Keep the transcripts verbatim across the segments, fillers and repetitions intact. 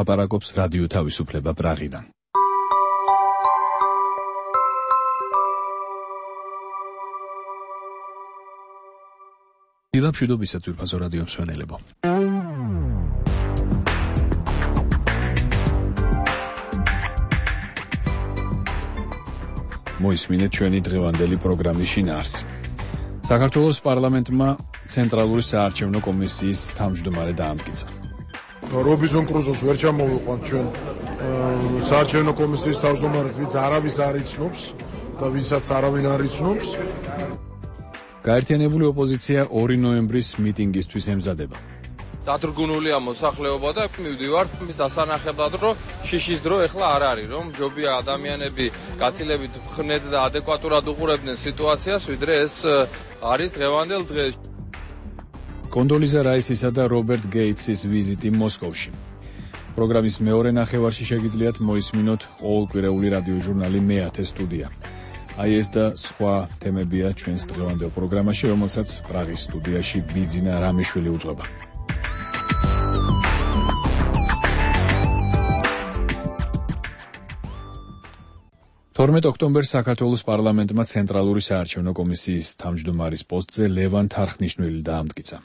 ლაპარაკობს რადიო თავისუფლება პრაღიდან. დილამშვიდობისა ძვირფასო რადიო მსმენელებო. მოისმინეთ ჩვენი დღევანდელი პროგრამის შინაარსი. საქართველოს პარლამენტმა ცენტრალური საარჩევნო კომისიის თავმჯდომარე დაამტკიცა. რობინზონ კრუზოს ვერ ჩამოვიყვანთ ჩვენ საარჩევნო კომისიის თავმჯდომარედ, ვინც არავის არ იცნობს და ვისაც არავინ არ იცნობს. გაერთიანებული ოპოზიცია ორი ნოემბრის მიტინგისთვის ემზადება. დათრგუნულია მოსახლეობა და მივდივართ მის დასანახებლად, რომ შიშის დრო ეხლა არ არის, რომ ჯობია ადამიანები გაცილებით ხნედ და ადეკვატურად უყურებდნენ სიტუაციას, ვიდრე ეს არის დღევანდელ დღეს. კონდოლიზა რაისისა და რობერტ გეიტსის ვიზიტი მოსკოვში. პროგრამის მეორე ნახევარში შეგიძლიათ მოისმინოთ ყოველკვირეული რადიო ჟურნალი მეათე სტუდია. აი ეს და სხვა თემებია ჩვენს დღევანდელ პროგრამაში, რომელსაც პრაღის სტუდიაში ბიძინა რამიშვილი უძღვება. თორმეტ ოქტომბერს საქართველოს პარლამენტმა ცენტრალური საარჩევნო კომისიის თავმჯდომარის პოსტზე ლევან თარხნიშვილი დაამტკიცა.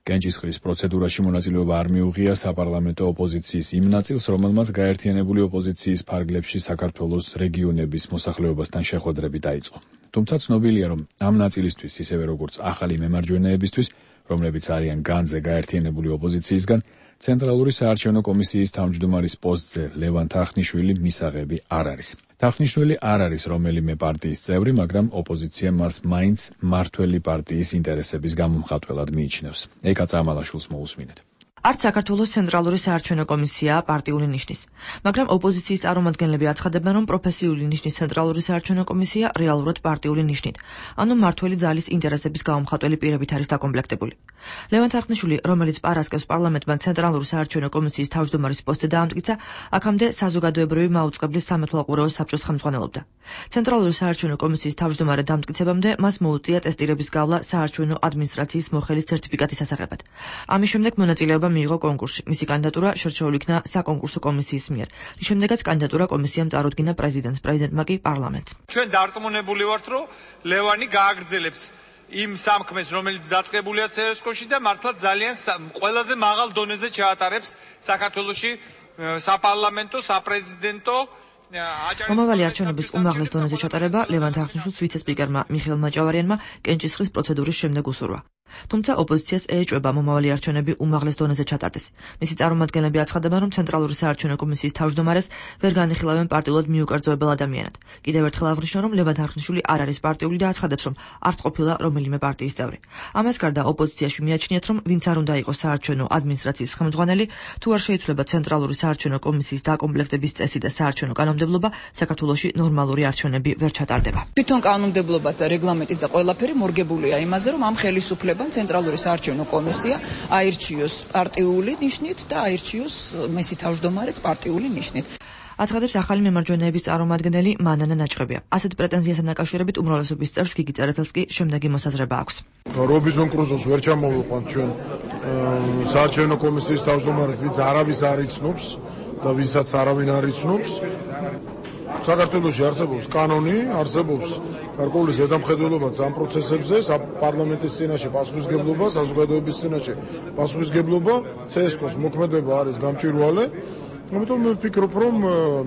კენჭისყრის პროცედურაში მონაწილეობა არ მიუღია საპარლამენტო ოპოზიციის იმ ნაწილს, რომელმაც გაერთიანებული ოპოზიციის ფარგლებში საქართველოს რეგიონების მოსახლეობასთან შეხვედრები დაიწყო. თუმცა ცნობილია, რომ ამ ნაწილისთვის, ისევე როგორც ახალი მემარჯვენეებისთვის, რომლებიც არიან განძე გაერთიანებული ოპოზიციისგან, ცენტრალური საარჩევნო კომისიის თავმჯდომარის პოსტზე ლევან თარხნიშვილი მისაღები არ არის. თარხნიშვილი არ არის რომელიმე პარტიის წევრი, მაგრამ ოპოზიცია მას მაინც მმართველი პარტიის ინტერესების გამომხატველად მიიჩნევს. ეკა წამალაშვილს მოусმინეთ. არც საქართველოს ცენტრალური საარჩევნო კომისია პარტიული ნიშნის, მაგრამ ოპოზიციის წარმომადგენლები აცხადებენ, რომ პროფესიული ნიშნის ცენტრალური საარჩევნო კომისია რეალურად პარტიული ნიშნით, ანუ მმართველი ძალის ინტერესების გამომხატველი პირებით არის დაკომპლექტებული. ლევან თარხნიშვილი, რომელიც პარასკევს პარლამენტმა ცენტრალური საარჩევნო კომისიის თავმჯდომარის პოსტზე დაამტკიცა, აქამდე საზოგადოებრივი მაუწყებლის სამეთვალყურეო საბჭოს ხელმძღვანელობდა. ცენტრალური საარჩევნო კომისიის თავმჯდომარე დამტკიცებამდე მას მოუწია ტესტირების გავლა საარჩევნო ადმინისტრაციის მოხელის სერტიფიკატის ასაღებად. ამის შემდეგ მონაწილეობა მიიღო კონკურსში. მისი კანდიდატურა შერჩეული იქნა საკონკურსო კომისიის მიერ. რის შემდეგაც კანდიდატურა კომისიამ წარუდგინა პრეზიდენტს, პრეზიდენტმა კი პარლამენტს. ჩვენ დარწმუნებული ვართ, რომ ლევანი გააგრძელებს იმ სამქმეს, რომელიც დაწყებულია ცესკოში და მართლა ძალიან ყველაზე მაღალ დონეზე ჩაატარებს საქართველოში საპარლამენტო, საპრეზიდენტო მომავალი არჩევნების უმაღლეს დონეზე ჩატარება ლევან თარხნიშვილს ვიცე-სპიკერმა მიხეილ მაჭავარიანმა კენჭისყრის პროცედურის შემდეგ უსურვა. თუმცა ოპოზიციას ეეჭვება მომავალი არჩევნები უმაღლეს დონეზე ჩატარდეს. მისი წარმომადგენლები აცხადებენ, რომ ცენტრალური საარჩევნო კომისიის თავმჯდომარეს ვერ განიხილავენ პარტიულად მიუკერძოებელ ადამიანად. კიდევ ერთხელ აღნიშნა, რომ ლევან თარხნიშვილი არ არის პარტიული და აცხადებს, რომ არც ყოფილა რომელიმე პარტიის წევრი. ამას გარდა ოპოზიციაში მიაჩნიათ, რომ ვინც არ უნდა იყოს საარჩევნო ადმინისტრაციის ხელმძღვანელი, თუ არ შეიცვლება ცენტრალური საარჩევნო კომისიის დაკომპლექტების წესი და საარჩევნო კანონმდებლობა, საქართველოში ნორმალური არჩევნები ვერ ჩატარდება. თვითონ კანონმდებლობა და რეგლამენტის და ყველაფერი მორგებულია იმაზე, რომ ამ ხელისუფლებამ ცენტრალური საარჩევნო კომისია აირჩიოს პარტიული ნიშნით და აირჩიოს მისი თავმჯდომარეც პარტიული ნიშნით. აცხადებს ახალი მემარჯვენეების წარმომადგენელი მანანა ნაჭყებია. ასეთ პრეტენზიასთან დაკავშირებით უმრავლესობის წევრს გიგი წერეთელს კი შემდეგი მოსაზრება აქვს. რობინზონ კრუზოს ვერ ჩამოვიყვანთ ჩვენ საარჩევნო კომისიის თავმჯდომარედ, ვინც არავის არ იცნობს და ვისაც არავინ არ იცნობს. საქართველოში არსებობს კანონი, არსებობს გარკვეული ზედამხედველობაც ამ პროცესებზე, პარლამენტის წინაშე პასუხისგებლობა, საზოგადოების წინაშე პასუხისგებლობა, ცესკოს მოქმედება არის გამჭვირვალე. ამიტომ მე ვფიქრობ, რომ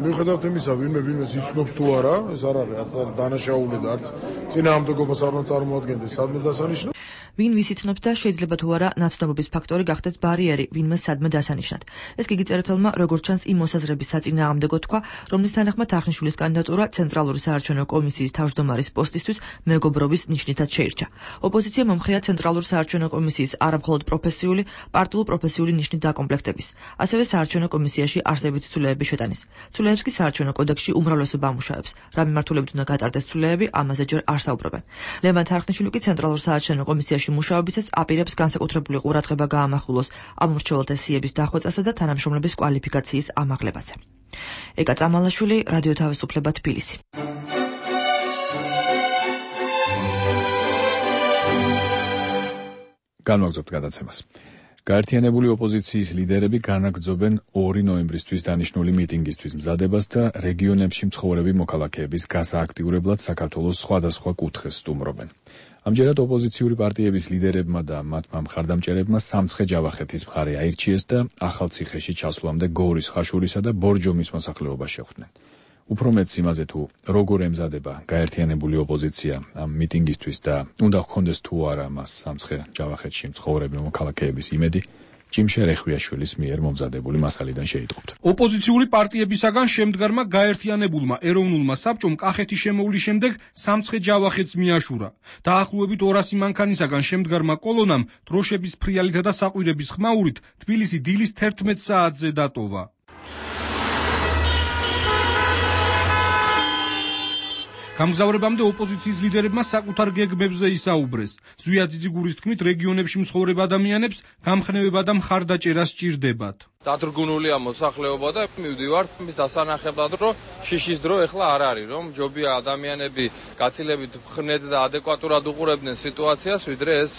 მიუხედავად იმისა, ვინმე ვინმეს იცნობს თუ არა, ეს არ არის არც დანაშაული და არც წინააღმდეგობას არ უნდა წარმოადგენდეს სადმე დასანიშნად. ვინ ვის იცნობს და შეიძლება თუ არა ნაცნობობის ფაქტორი გახდეს ბარიერი ვინმე სადმე დასანიშნად. ეს გიგი წერეთელმა როგორც ჩანს იმ მოსაზრების საწინააღმდეგო თქვა, რომლის თანახმად თარხნიშვილის კანდიდატურა ცენტრალური საარჩევნო კომისიის თავმჯდომარის პოსტისთვის მეგობრობის ნიშნითაც შეირჩა. ოპოზიცია მომხრეა ცენტრალურ საარჩევნო კომისიის არამხოლოდ პროფესიული, პარტიულ-პროფესიული ნიშნით დაკომპლექტების, ასევე საარჩევნო კომისიაში არსებითი ცვლილებების შეტანის. ცვლილებას კი საარჩევნო კოდექსში უმრავლესობა ამუშავებს. რა მიმართულებით უნდა გატარდეს ცვლილებები, ამაზე ჯერ არ საუბრობენ. ლევან თარხნიშვილი კი ცენტრალურ საარჩევნო კომისიაში მუშაობისას აპირებს განსაკუთრებული ყურადღება გაამახვილოს ამ მრჩეველთა სიების დახვეწასა და თანამშრომლების კვალიფიკაციის ამაღლებაზე. ეკა წამალაშვილი, რადიო თავისუფლება, თბილისი. განვაგრძობთ გადაცემას. გაერთიანებული ოპოზიციის ლიდერები განაგრძობენ ორი ნოემბრისთვის დანიშნული მიტინგისთვის მზადებას და რეგიონებში მცხოვრები მოქალაქეების გასააქტიურებლად საქართველოს სხვადასხვა კუთხეს სტუმრობენ. ამჯერად ოპოზიციური პარტიების ლიდერებმა და მათმა მხარდამჭერებმა სამცხე ჯავახეთის მხარე აირჩიეს და ახალციხეში ჩასვლამდე გორის, ხაშურისა და ბორჯომის მოსახლეობა შეხვდნენ. უფრო მეტს იმაზე თუ როგორ ემზადება გაერთიანებული ოპოზიცია ამ მიტინგისთვის და უნდა ჰქონდეს თუ არა მას სამცხე ჯავახეთში მცხოვრები მოქალაქეების იმედი, ჯიმშე რეხვიაშვილის მიერ მომზადებული მასალიდან შეიტყობთ. ოპოზიციური პარტიებისაგან შემდგარმა გაერთიანებულმა ეროვნულმა საბჭომ კახეთის შემოვლის შემდეგ სამცხე ჯავახეთს მიაშურა. დაახლოებით ორასი მანქანისაგან შემდგარმა კოლონამ დროშების ფრიალითა და საყვირების ხმაურით თბილისი დილის თერთმეტ საათზე დატოვა. გამგზავრებამდე ოპოზიციის ლიდერებმა საკუთარ გეგმებზე ისაუბრეს. ზვია ძიძიგურის თქმით, რეგიონებში მცხოვრებ ადამიანებს გამხნევება და მხარდაჭერა სჭირდებათ. დადრგუნულია მოსახლეობა და მივდივართ მის დასანახებლად, რომ შიშის დრო ეხლა არ არის, რომ ჯობია ადამიანები გაცილებით ხნედ და ადეკვატურად უყურებდნენ სიტუაციას, ვიდრე ეს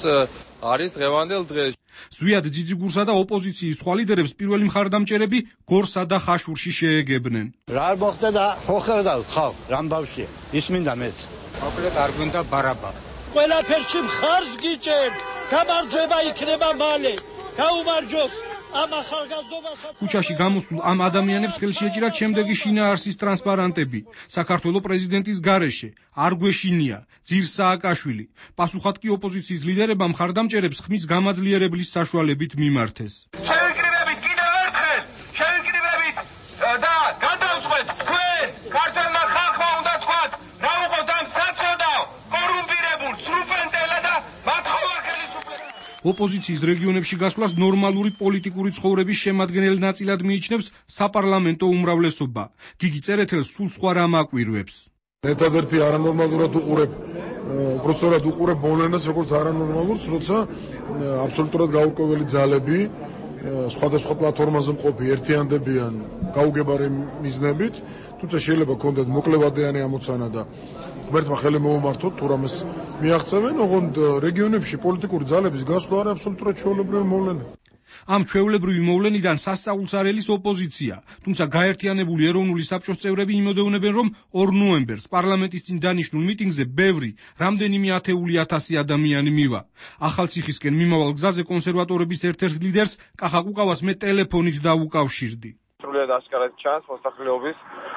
არის დღევანდელ დღეს. ზვიად ძიძიგურსა და ოპოზიციის სხვა ლიდერებს პირველი მხარდამჭერები გორსა და ხაშურში შეეგებნენ. რა მოხდა და ხო ხედა ხალ რამბავში ის მინდა მეც. მოკლედ არ გვინდა ბარაბა. ყველაფერში მხარს გიჭერთ, გამარჯვება იქნება მალე. გაუმარჯოს ამ ახალგაზრდობასაც. ქუჩაში გამოსულ ამ ადამიანებს ხელში ეჭირათ შემდეგი შინაარსის ტრანსპარანტები. საქართველოს პრეზიდენტის გარეშე არ გვეშინია ძირ სააკაშვილი. პასუხად კი ოპოზიციის ლიდერებმა მხარდამჭერებს ხმის გამაძლიერებლის საშუალებით მიმართეს. შევიკრიბებით კიდევ ერთხელ, შევიკრიბებით და გადავწყვეტ თქვენ ქართველმა ხალხმა უნდა თქვათ, რა უყოთ ამ საწოდავ, კორუმპირებულ, ცრუფენტელა და მათხოვარ ხელისუფლებას. ოპოზიციის რეგიონებში გასვლას ნორმალური პოლიტიკური ცხოვრების შემადგენელ ნაწილად მიიჩნევს საპარლამენტო უმრავლესობა. გიგი წერეთელს სულ სხვა რამ აკვირვებს. ერთადერთი არანორმალურად უყურებ, უბრალოდ უყურებ მოვლენას როგორც არანორმალურს, როცა აბსოლუტურად გაურკვეველი ძალები სხვადასხვა პლატფორმაზე მყოფი ერთიანდებიან გაუგებარი მიზნებით, თუმცა შეიძლება ქონდეთ მოკლევადიანი ამოცანა და ღმერთმა ხელი მოუმართოთ თუ რამეს მიაღწევენ, ოღონდ რეგიონებში პოლიტიკური ძალების გასვლა არის აბსოლუტურად ჩვეულებრივი მოვლენა. ამ ჩვეულებრივი მოვლენიდან სასწაულს არ ელის ოპოზიცია, თუმცა გაერთიანებული ეროვნული საბჭოს წევრები იმედოვნებენ, რომ ორ ნოემბერს პარლამენტის წინ დანიშნულ მიტინგზე ბევრი, რამდენიმე ათეული ათასი ადამიანი მივა. ახალციხისკენ მიმავალ გზაზე კონსერვატორების ერთ-ერთ ლიდერს კახაკუყავას მე ტელეფონით დავუკავშირდი. სრულიად ასკარად ჩანს მოსახლეობის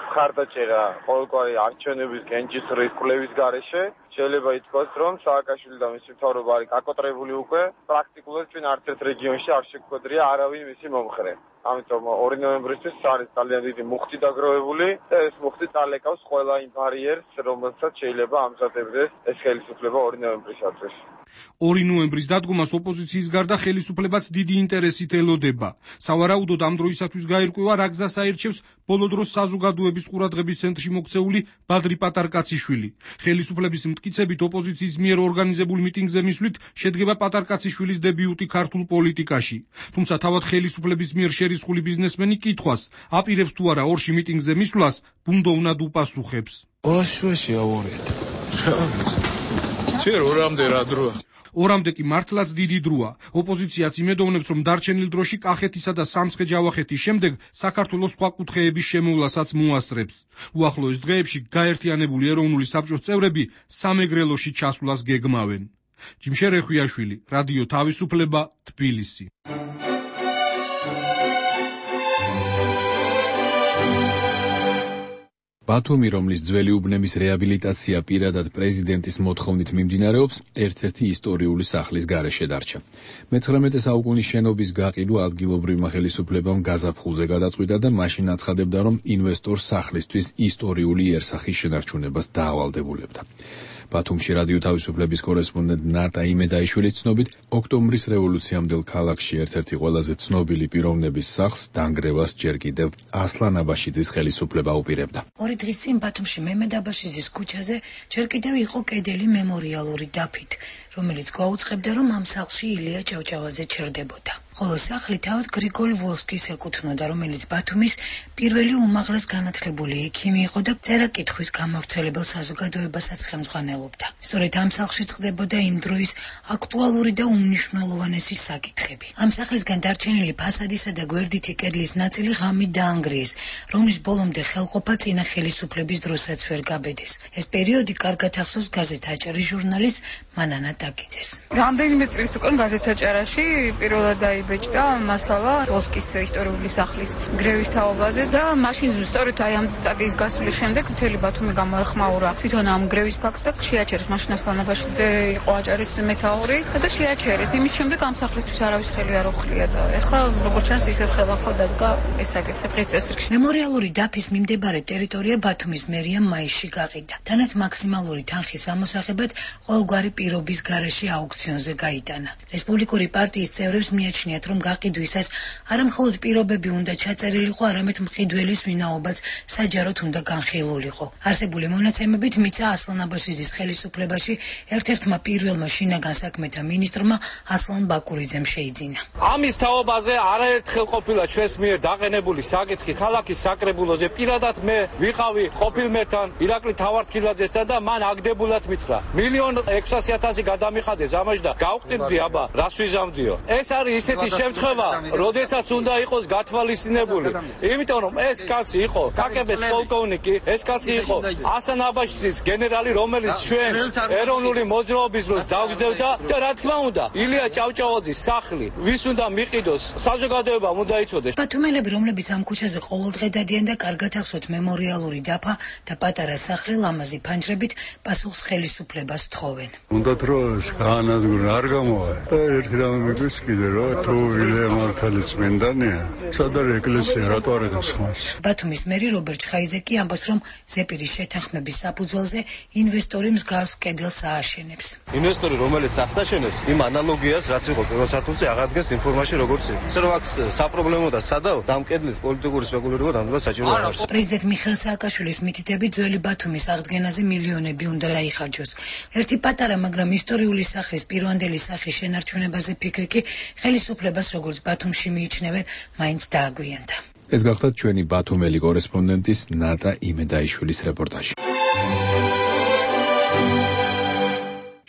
მხარდაჭერა ყოველგვარი არჩევნების კენჭისყრის კვლევის გარეშე. შეიძლება ითქვას, რომ სააკაშვილი და მისი მთავრობა არის გაკოტრებული უკვე, პრაქტიკულად ჩვენ არც ერთ რეგიონში არ შეგვედრია არავინ მისი მომხრე. ამიტომ ორი ნოემბრისთვის არის ძალიან დიდი მუხტი დაგროვებული და ეს მუხტი წალეკავს ყველა იმ ბარიერს, რომელსაც შეიძლება ამზადებდეს ეს ხელისუფლება ორი ნოემბრისათვის. ორი ნოემბრის დადგომას ოპოზიციის გარდა ხელისუფლებაც დიდი ინტერესით ელოდება. სავარაუდოდ ამ დროისათვის გაირკვევა რა გზას აირჩევს ბოლო დროს საზოგადოების ყურადღების ცენტრში მოქცეული ბადრი პატარკაციშვილი. ხელისუფლების მტკიცებით ოპოზიციის მიერ ორგანიზებულ მიტინგზე მისვლით შედგება პატარკაციშვილის დებიუტი ქართულ პოლიტიკაში. თუმცა თავად ხელისუფლების მიერ შერისხული ბიზნესმენი კითხვას აპირებს თუ არა ორში მიტინგზე მისვლას ბუნდოვნად უპასუხებს. ოშვეში ავორეთ. შენ ორამდე რა დროა? ორამდე კი მართლაც დიდი დროა. ოპოზიციაც იმედოვნებს, რომ დარჩენილ დროში კახეთისა და სამცხე ჯავახეთის შემდეგ საქართველოს სხვა კუთხეების შემოვლასაც მოასწრებს. უახლოეს დღეებში გაერთიანებული ეროვნული საბჭოს წევრები სამეგრელოში ჩასვლას გეგმავენ. ჯიმშე რეხვიაშვილი, რადიო თავისუფლება, თბილისი. ბათუმი, რომლის ძველი უბნების რეაბილიტაცია პირადად პრეზიდენტის მოთხოვნით მიმდინარეობს, ერთ-ერთი ისტორიული სახლის გარეშე დარჩა. მეცხრამეტე საუკუნის შენობის გაყიდვა ადგილობრივმა ხელისუფლებამ გაზაფხულზე გადაწყვიტა და მაშინ აცხადებდა, რომ ინვესტორს სახლისთვის ისტორიული იერსახის შენარჩუნებას დაავალდებულებდა. ბათუმში რადიო თავისუფლების კორესპონდენტ ნატა იმედაიშვილის ცნობით, ოქტომბრის რევოლუციამდელ ქალაქში ერთ-ერთი ყველაზე ცნობილი პიროვნების სახლს დანგრევას ჯერ კიდევ ასლან აბაშიძის ხელისუფლება უპირებდა. ორი დღის წინ ბათუმში მემედ აბაშიძის ქუჩაზე ჯერ კიდევ იყო კედელი მემორიალური დაფით. რომელიც გვაუწყებდა, რომ ამ სახლში ილია ჭავჭავაძე ჩერდებოდა. ხოლო სახლი თავად გრიგოლ ვოლსკის ეკუთვნოდა, რომელიც ბათუმის პირველი უმაღლეს განათლებული ექიმი იყო და წერა-კითხვის გამავრცელებელ საზოგადოებასაც ხელმძღვანელობდა. სწორედ ამ სახლში წყდებოდა იმ დროის აქტუალური და უმნიშვნელოვანესი საკითხები. ამ სახლისგან დარჩენილი ფასადისა და გვერდითი კედლის ნაწილი ღამით დაანგრიეს, რომლის ბოლომდე ხელყოფა წინა ხელისუფლების დროსაც ვერ გაბედეს. ეს პერიოდი კარგად ახსოვს გაზეთ აჭარის ჟურნალისტ მანანა ტაკიძეს. რამდენიმე წლის უკან გაზეთ აჭარაში პირველად დაიბეჭდა მასალა ვოლსკის ისტორიული სახლის გრევის თაობაზე და მაშინ სწორედ აი ამ სტატიის გასვლის შემდეგ მთელი ბათუმი გამოეხმაურა თვითონ ამ გრევის ფაქტს და შეაჩერეს მაშინ ასლანაბაშიძე იყო აჭარის მეთაური და შეაჩერეს. იმის შემდეგ ამ სახლისთვის არავის ხელი არ უხლია და ეხლა როგორც ჩანს ისევ ხელახლა დადგა ეს საკითხი დღეს წესრიგში. მემორიალური დაფის მიმდებარე ტერიტორია ბათუმის მერიამ მაისში გაყიდა. თანაც მაქსიმალური თანხის ამოსაღებად ყოველგვარი პირობის გარეშე აუქციონზე გაიტანა. რესპუბლიკური პარტიის წევრებს მიაჩნიათ, რომ გაყიდვისას არა მხოლოდ პირობები უნდა ჩაწერილიყო, არამედ მყიდველის ვინაობაც საჯაროდ უნდა განხილულიყო. არსებული მონაცემებით მიცა ასლანაბაშიძის ხელისუფლებაში ერთ-ერთმა პირველმა შინაგან საქმეთა მინისტრმა ასლან ბაკურიძემ შეიძინა. ამის თაობაზე არაერთხელ ყოფილა ჩვენს მიერ დაყენებული საკითხი ქალაქის საკრებულოზე. პირადად მე ვიყავი ყოფილმერთან ირაკლი თავართქილაძესთან და მან აგდებულად მითხრა მილიონ ექვსასი ათასი გადამიხადე ზამაში და გავყიდდი აბა რას ვიზამდიო. ეს არის ისეთი შემთხვევა, როდესაც უნდა იყოს გათვალისწინებული. იმიტომ რომ ეს კაცი იყო კაკების პოლკოვნიკი, ეს კაცი იყო ასლანაბაშიძის გენერალი, რომელიც ჩვენ ეროვნული მოძრაობის დროს დავგზავნა და რა თქმა უნდა, ილია ჭავჭავაძის სახლი ვის უნდა მიყიდოს, საზოგადოებამ უნდა იცოდეს. ბათუმელები, რომლებიც ამ ქუჩაზე ყოველდღე დადიან და კარგად ახსოვთ მემორიალური დაფა და პატარა სახლი ლამაზი ფანჯრებით პასუხს ხელისუფლებას თხოვენ. უნდათ რომ განადგურონ არ გამოვა და ერთი რამე მიგვის კიდე რომ თუ ილია მართალი წმინდანია, სად არის ეკლესია, რატო არ ედოს ხმას? ბათუმის მერი რობერტ ხაიზეკი ამბობს, რომ ზეპირის შეთანხმების საფუძველზე ინვესტორი მსგავს კედელს ააშენებს. ინვესტორი, რომელიც ახსნაშენებს, იმ ანალოგიას, რაც იყო პირველ სართულზე, აღადგენს ინფორმაცია როგორც ის. ისე რომ აქ საპრობლემო და სადაო, და ამ კედლით პოლიტიკური სპეკულირება დამდგა საჭირო არ არის. პრეზიდენტ მიხეილ სააკაშვილის მითითებით ძველი ბათუმის აღდგენაზე მილიონები უნდა დაიხარჯოს. ერთი პატარა, მაგრამ ისტორიული სახლის პირვანდელი სახის შენარჩუნებაზე ფიქრი კი ხელისუფლებას როგორც ბათუმში მიიჩნევენ, მაინც დააგვიანდა. ეს გახლავთ ჩვენი ბათუმელი კორესპონდენტის ნატა იმედაიშვილის რეპორტაჟი.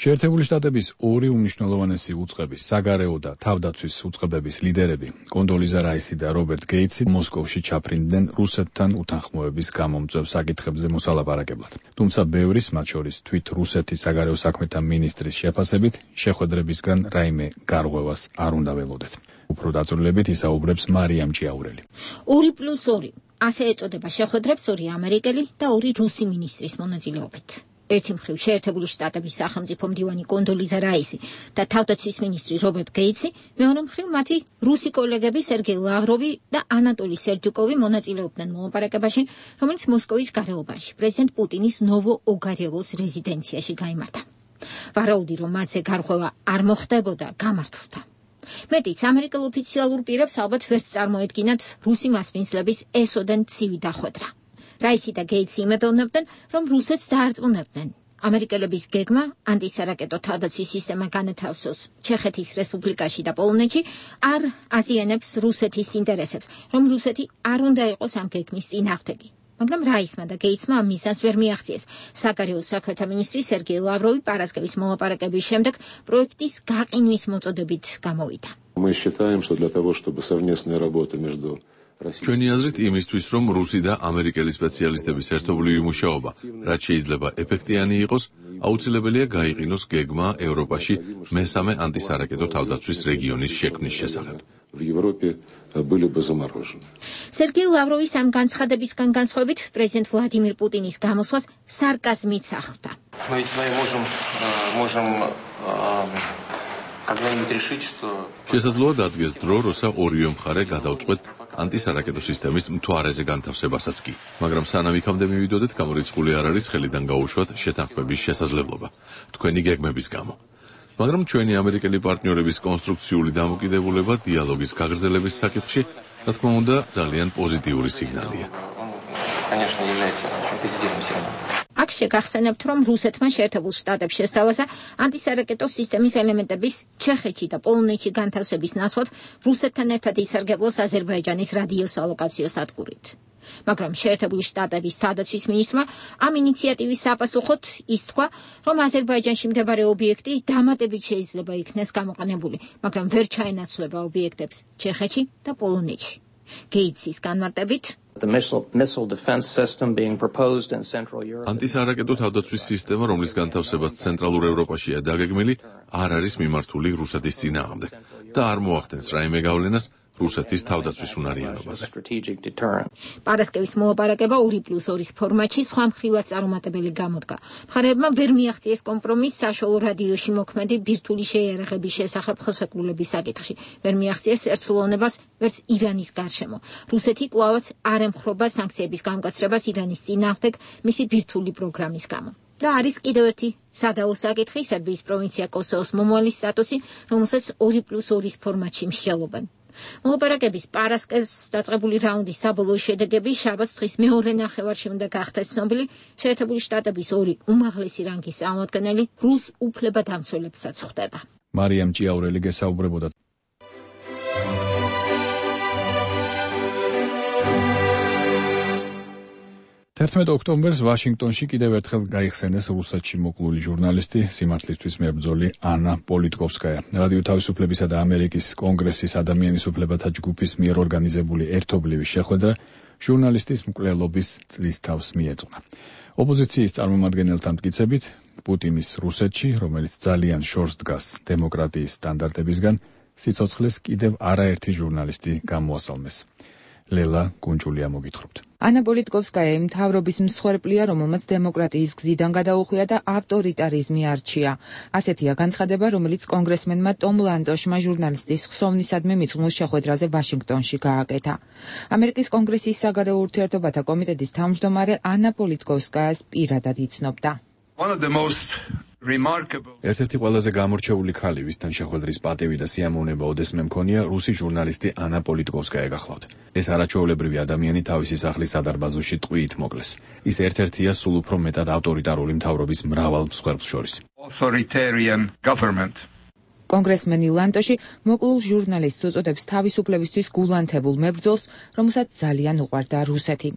შეერთებული შტატების ორი უმნიშვნელოვანესი უწყების, საგარეო და თავდაცვის უწყებების ლიდერები, კონდოლიზა რაისი და რობერტ გეიტსი, მოსკოვში ჩაფრინდნენ რუსეთთან უთანხმოების გამომწვევ საკითხებზე მოსალაპარაკებლად. თუმცა ბევრის, მათ შორის თვით რუსეთის საგარეო საქმეთა მინისტრის შეფასებით, შეხვედრებისგან რაიმე გარღვევას არ უნდა ველოდეთ. უფრო დაწვრილებით ისაუბრებს მარიამ ჭიაურელი. ორი პლუს ორი. ასე ეწოდება შეხვედრებს ორი ამერიკელი და ორი რუსი მინისტრის მონაწილეობით. ერთი მხრივ შეერთებული შტატების სახელმწიფო მდივანი კონდოლიზა რაისი და თავდაცვის მინისტრი რობერტ გეიტსი, მეორე მხრივ მათი რუსი კოლეგები სერგეი ლავროვი და ანატოლი სერდიუკოვი მონაწილეობდნენ მოლაპარაკებაში, რომელიც მოსკოვის გარეუბანში პრეზიდენტ პუტინის ნოვო-ოგარევოს რეზიდენციაში გაიმართა. ვარაუდი, რომ მათზე გარღვევა არ მოხდებოდა, გამართლდა. მეტიც, ამერიკელ ოფიციალურ პირებს ალბათ ვერც წარმოედგინათ რუსი მასპინძლების ესოდენ ცივი დახვედრა. რაისი და გეიტსი იმედოვნებდნენ, რომ რუსეთს დაარწმუნებდნენ. ამერიკელების გეგმა ანტისარაკეტო თავდაცვის სისტემა განათავსოს ჩეხეთის რესპუბლიკაში და პოლონეთში არ აზიანებს რუსეთის ინტერესებს, რომ რუსეთი არ უნდა იყოს ამ გეგმის წინააღმდეგი. მაგრამ რაისმა და გეიტსმა ამ მიზანს ვერ მიაღწიეს. საგარეო საქმეთა მინისტრი სერგეი ლავროვი პარასკევის მოლაპარაკების შემდეგ პროექტის გაყინვის მოწოდებით გამოვიდა. Мы считаем, что для того, чтобы совместная работа между ჩვენი აზრით იმისთვის, რომ რუსი და ამერიკელი სპეციალისტების ერთობლივი მუშაობა რაც შეიძლება ეფექტიანი იყოს, აუცილებელია გაიყინოს გეგმა ევროპაში მესამე ანტისარაკეტო თავდაცვის რეგიონის შექმნის შესახებ. В Европе были бы заморожены. სერგეი ლავროვის ამ განცხადებისგან განსხვავებით, პრეზიდენტ ვლადიმირ პუტინის გამოსვლას სარკაზმით ახლდა. Мы ведь с вами можем можем когда-нибудь решить, что შესაძლოა დადგეს დრო, როცა ორივე მხარე გადავწყვეტ ანტისარაკეტო სისტემის მთვარეზე განთავსებასაც კი. მაგრამ სანამ იქამდე მივიდოდეთ, გამორიცხული არ არის ხელიდან გაუშვათ შეთანხმების შესაძლებლობა თქვენი გეგმების გამო. მაგრამ ჩვენი ამერიკელი პარტნიორების კონსტრუქციული დამოკიდებულება დიალოგის გაგრძელების საკითხში, რა თქმა უნდა, ძალიან პოზიტიური სიგნალია. Конечно, является очень позитивным сигналом. აქ შეგახსენებთ, რომ რუსეთმა შეერთებულ შტატებს შესწავლასა ანტისარაკეტო სისტემის ელემენტების ჩეხეთში და პოლონეთში განთავსების ნაცვლად რუსეთთან ერთად ისარგებლოს აზერბაიჯანის რადიოსალოკაციო სადგურით. მაგრამ შეერთებული შტატების თავდაცვის მინისტრმა ამ ინიციატივის საპასუხოდ ის თქვა, რომ აზერბაიჯანში მდებარე ობიექტი დამატებით შეიძლება იქნეს გამოყენებული, მაგრამ ვერ ჩაენაცვლება ობიექტებს ჩეხეთში და პოლონეთში. გეიცის განმარტებით ანტისარაკეტო თავდაცვის სისტემა, რომლის განთავსებაც ცენტრალურ ევროპაშია დაგეგმილი, არ არის მიმართული რუსეთის წინააღმდეგ და არ მოახდენს რაიმე გავლენას რუსეთის თავდაცვის უნარიანობაზე. პარასკევის მოლაპარაკება ორი პლუს ორის ფორმატში სხვა მხრივად წარუმატებელი გამოდგა. მხარეებმა ვერ მიაღწიეს კომპრომისს საშუალო რადიოში მოქმედი ბირთვული შეიარაღების შესახებ ხელშეკრულების საკითხში. ვერ მიაღწიეს ერთსულოვნებას ვერც ირანის გარშემო. რუსეთი კვლავაც არ ემხრობა სანქციების გამკაცრებას ირანის წინააღმდეგ მისი ბირთვული პროგრამის გამო. და არის კიდევ ერთი სადაო საკითხი, სერბიის პროვინცია კოსოვოს მომავალი სტატუსი, რომელსაც ორი პლუს ორის ფორმატში მსჯელობენ. მოლაპარაკების პარასკევს დაწყებული რაუნდის საბოლოო შედეგები შაბათს დღის მეორე ნახევარში უნდა გახდეს ცნობილი. შეერთებული შტატების ორი უმაღლესი რანგის წარმომადგენელი რუს უფლებადამცველებსაც ხვდება. მარიამ ჭიაურელი გესაუბრებოდა. თერთმეტ ოქტომბერს ვაშინგტონში კიდევ ერთხელ გაიხსენეს რუსეთში მოკლული ჟურნალისტი, სიმართლისთვის მებრძოლი ანა პოლიტკოვსკაია. რადიო თავისუფლებისა და ამერიკის კონგრესის ადამიანის უფლებათა ჯგუფის მიერ ორგანიზებული ერთობლივი შეხვედრა ჟურნალისტის მკვლელობის წლისთავს მიეძღვნა. ოპოზიციის წარმომადგენელთა მტკიცებით, პუტინის რუსეთში, რომელიც ძალიან შორს დგას დემოკრატიის სტანდარტებისგან, სიცოცხლეს კიდევ არაერთი ჟურნალისტი გამოასალმეს. ლელა გუნჯულია მოგითხრობთ. ანა პოლიტკოვსკაია იმ მთავრობის მსხვერპლია, რომელმაც დემოკრატიის გზიდან გადაუხვია და ავტორიტარიზმი არჩია. ასეთია განცხადება, რომელიც კონგრესმენმა ტომ ლანტოშმა ჟურნალისტის ხსოვნისადმი მიძღვნილ შეხვედრაზე ვაშინგტონში გააკეთა. ამერიკის კონგრესის საგარეო ურთიერთობათა კომიტეტის თავმჯდომარე ანა პოლიტკოვსკაიას პირადად იცნობდა. ერთ-ერთი ყველაზე გამორჩეული ქალი, ვისთან შეხვედრის პატივი და სიამოვნება ოდესმე მქონია, რუსი ჟურნალისტი ანა პოლიტკოვსკაია გახლავთ. ეს არაჩვეულებრივი ადამიანი თავისი სახლის სადარბაზოში ტყვიით მოკლეს. ის ერთ-ერთია სულ უფრო მეტად ავტორიტარული მთავრობის მრავალ მსხვერპლს შორის. კონგრესმენი ლანტოში მოკლულ ჟურნალისტს უწოდებს თავისუფლებისთვის გულანთებულ მებრძოლს, რომელსაც ძალიან უყვარდა რუსეთი.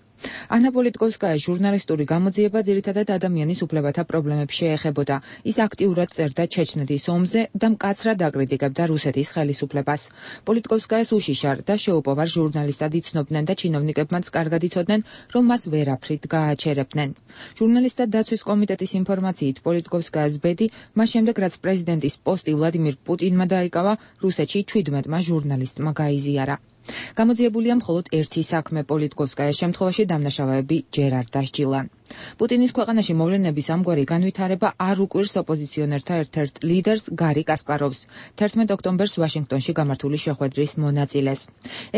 ანა პოლიტკოვსკაია ჟურნალისტური გამოძიება ძირითადად ადამიანის უფლებათა პრობლემებს შეეხებოდა. ის აქტიურად წერდა ჩეჩნეთის ომზე და მკაცრად აკრიტიკებდა რუსეთის ხელისუფლებას. პოლიტკოვსკაიას უშიშარ და შეუპოვარ ჟურნალისტად იცნობდნენ და ჩინოვნიკებმაც კარგად იცოდნენ, რომ მას ვერაფრით გააჩერებდნენ. ჟურნალისტთა დაცვის კომიტეტის ინფორმაციით, პოლიტკოვსკაიას ბედი მას შემდეგ, რაც პრეზიდენტის პოსტი ვლადიმირ პუტინმა დაიკავა, რუსეთში ჩვიდმეტმა ჟურნალისტმა გაიზიარა. გამოძიებულია მხოლოდ ერთი საქმე პოლიტკოვსკაიას შემთხვევაში დამნაშავეები ჯერ არ დასჯილან. პუტინის ქვეყანაში მოვლენების ამგვარი განვითარება არ უკვირს ოპოზიციონერთა ერთ-ერთ ლიდერს გარი კასპაროვს, თერთმეტ ოქტომბერს ვაშინგტონში გამართული შეხვედრის მონაწილეს.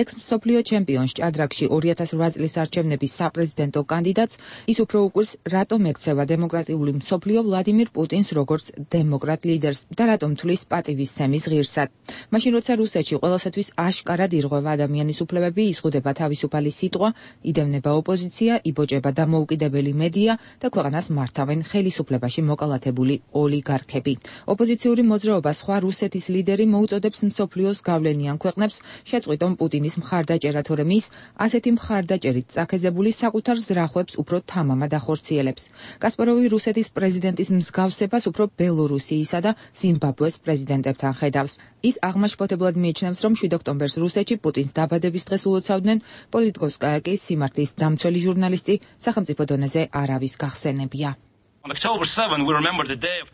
ექს-მსოფლიო ჩემპიონს ჭადრაკში ორი ათას ოთხ წლის არჩევნების საპრეზიდენტო კანდიდატს ის უფრო უკვირს, რატომ ექცევა დემოკრატიული მსოფლიო ვლადიმირ პუტინს როგორც დემოკრატ ლიდერს და რატომ თვლის პატივისცემის ღირსად. მაშინ როცა რუსეთში ყველასათვის აშკარად ირღვევა ადამიანის უფლებები, იზღუდება თავისუფალი სიტყვა, იდევნება ოპოზიცია, იბოჭება დამოუკიდებელი მედია და ქვეყანას მართავენ ხელისუფლებაში მოკალათებული ოლიგარქები. ოპოზიციური მოძრაობა სხვა რუსეთის ლიდერი მოუწოდებს მსოფლიოს გავლენიან ქვეყნებს შეწყვიტონ პუტინის მხარდაჭერა, თორემ ის ასეთი მხარდაჭერით წაქეზებული საკუთარ ზრახვებს უფრო თამამად ახორციელებს. კასპაროვი რუსეთის პრეზიდენტის მსგავსებას უფრო ბელორუსიისა და ზიმბაბვეს პრეზიდენტებთან ხედავს. ის აღმაშფოთებლად მიიჩნევს, რომ შვიდ ოქტომბერს რუსეთში პუტინს დაბადების დღეს ულოცავდნენ, პოლიტკოვსკაია კი სიმართლის დამცველი ჟურნალისტი სახელმწიფო დონეზე არავის გახსენებია.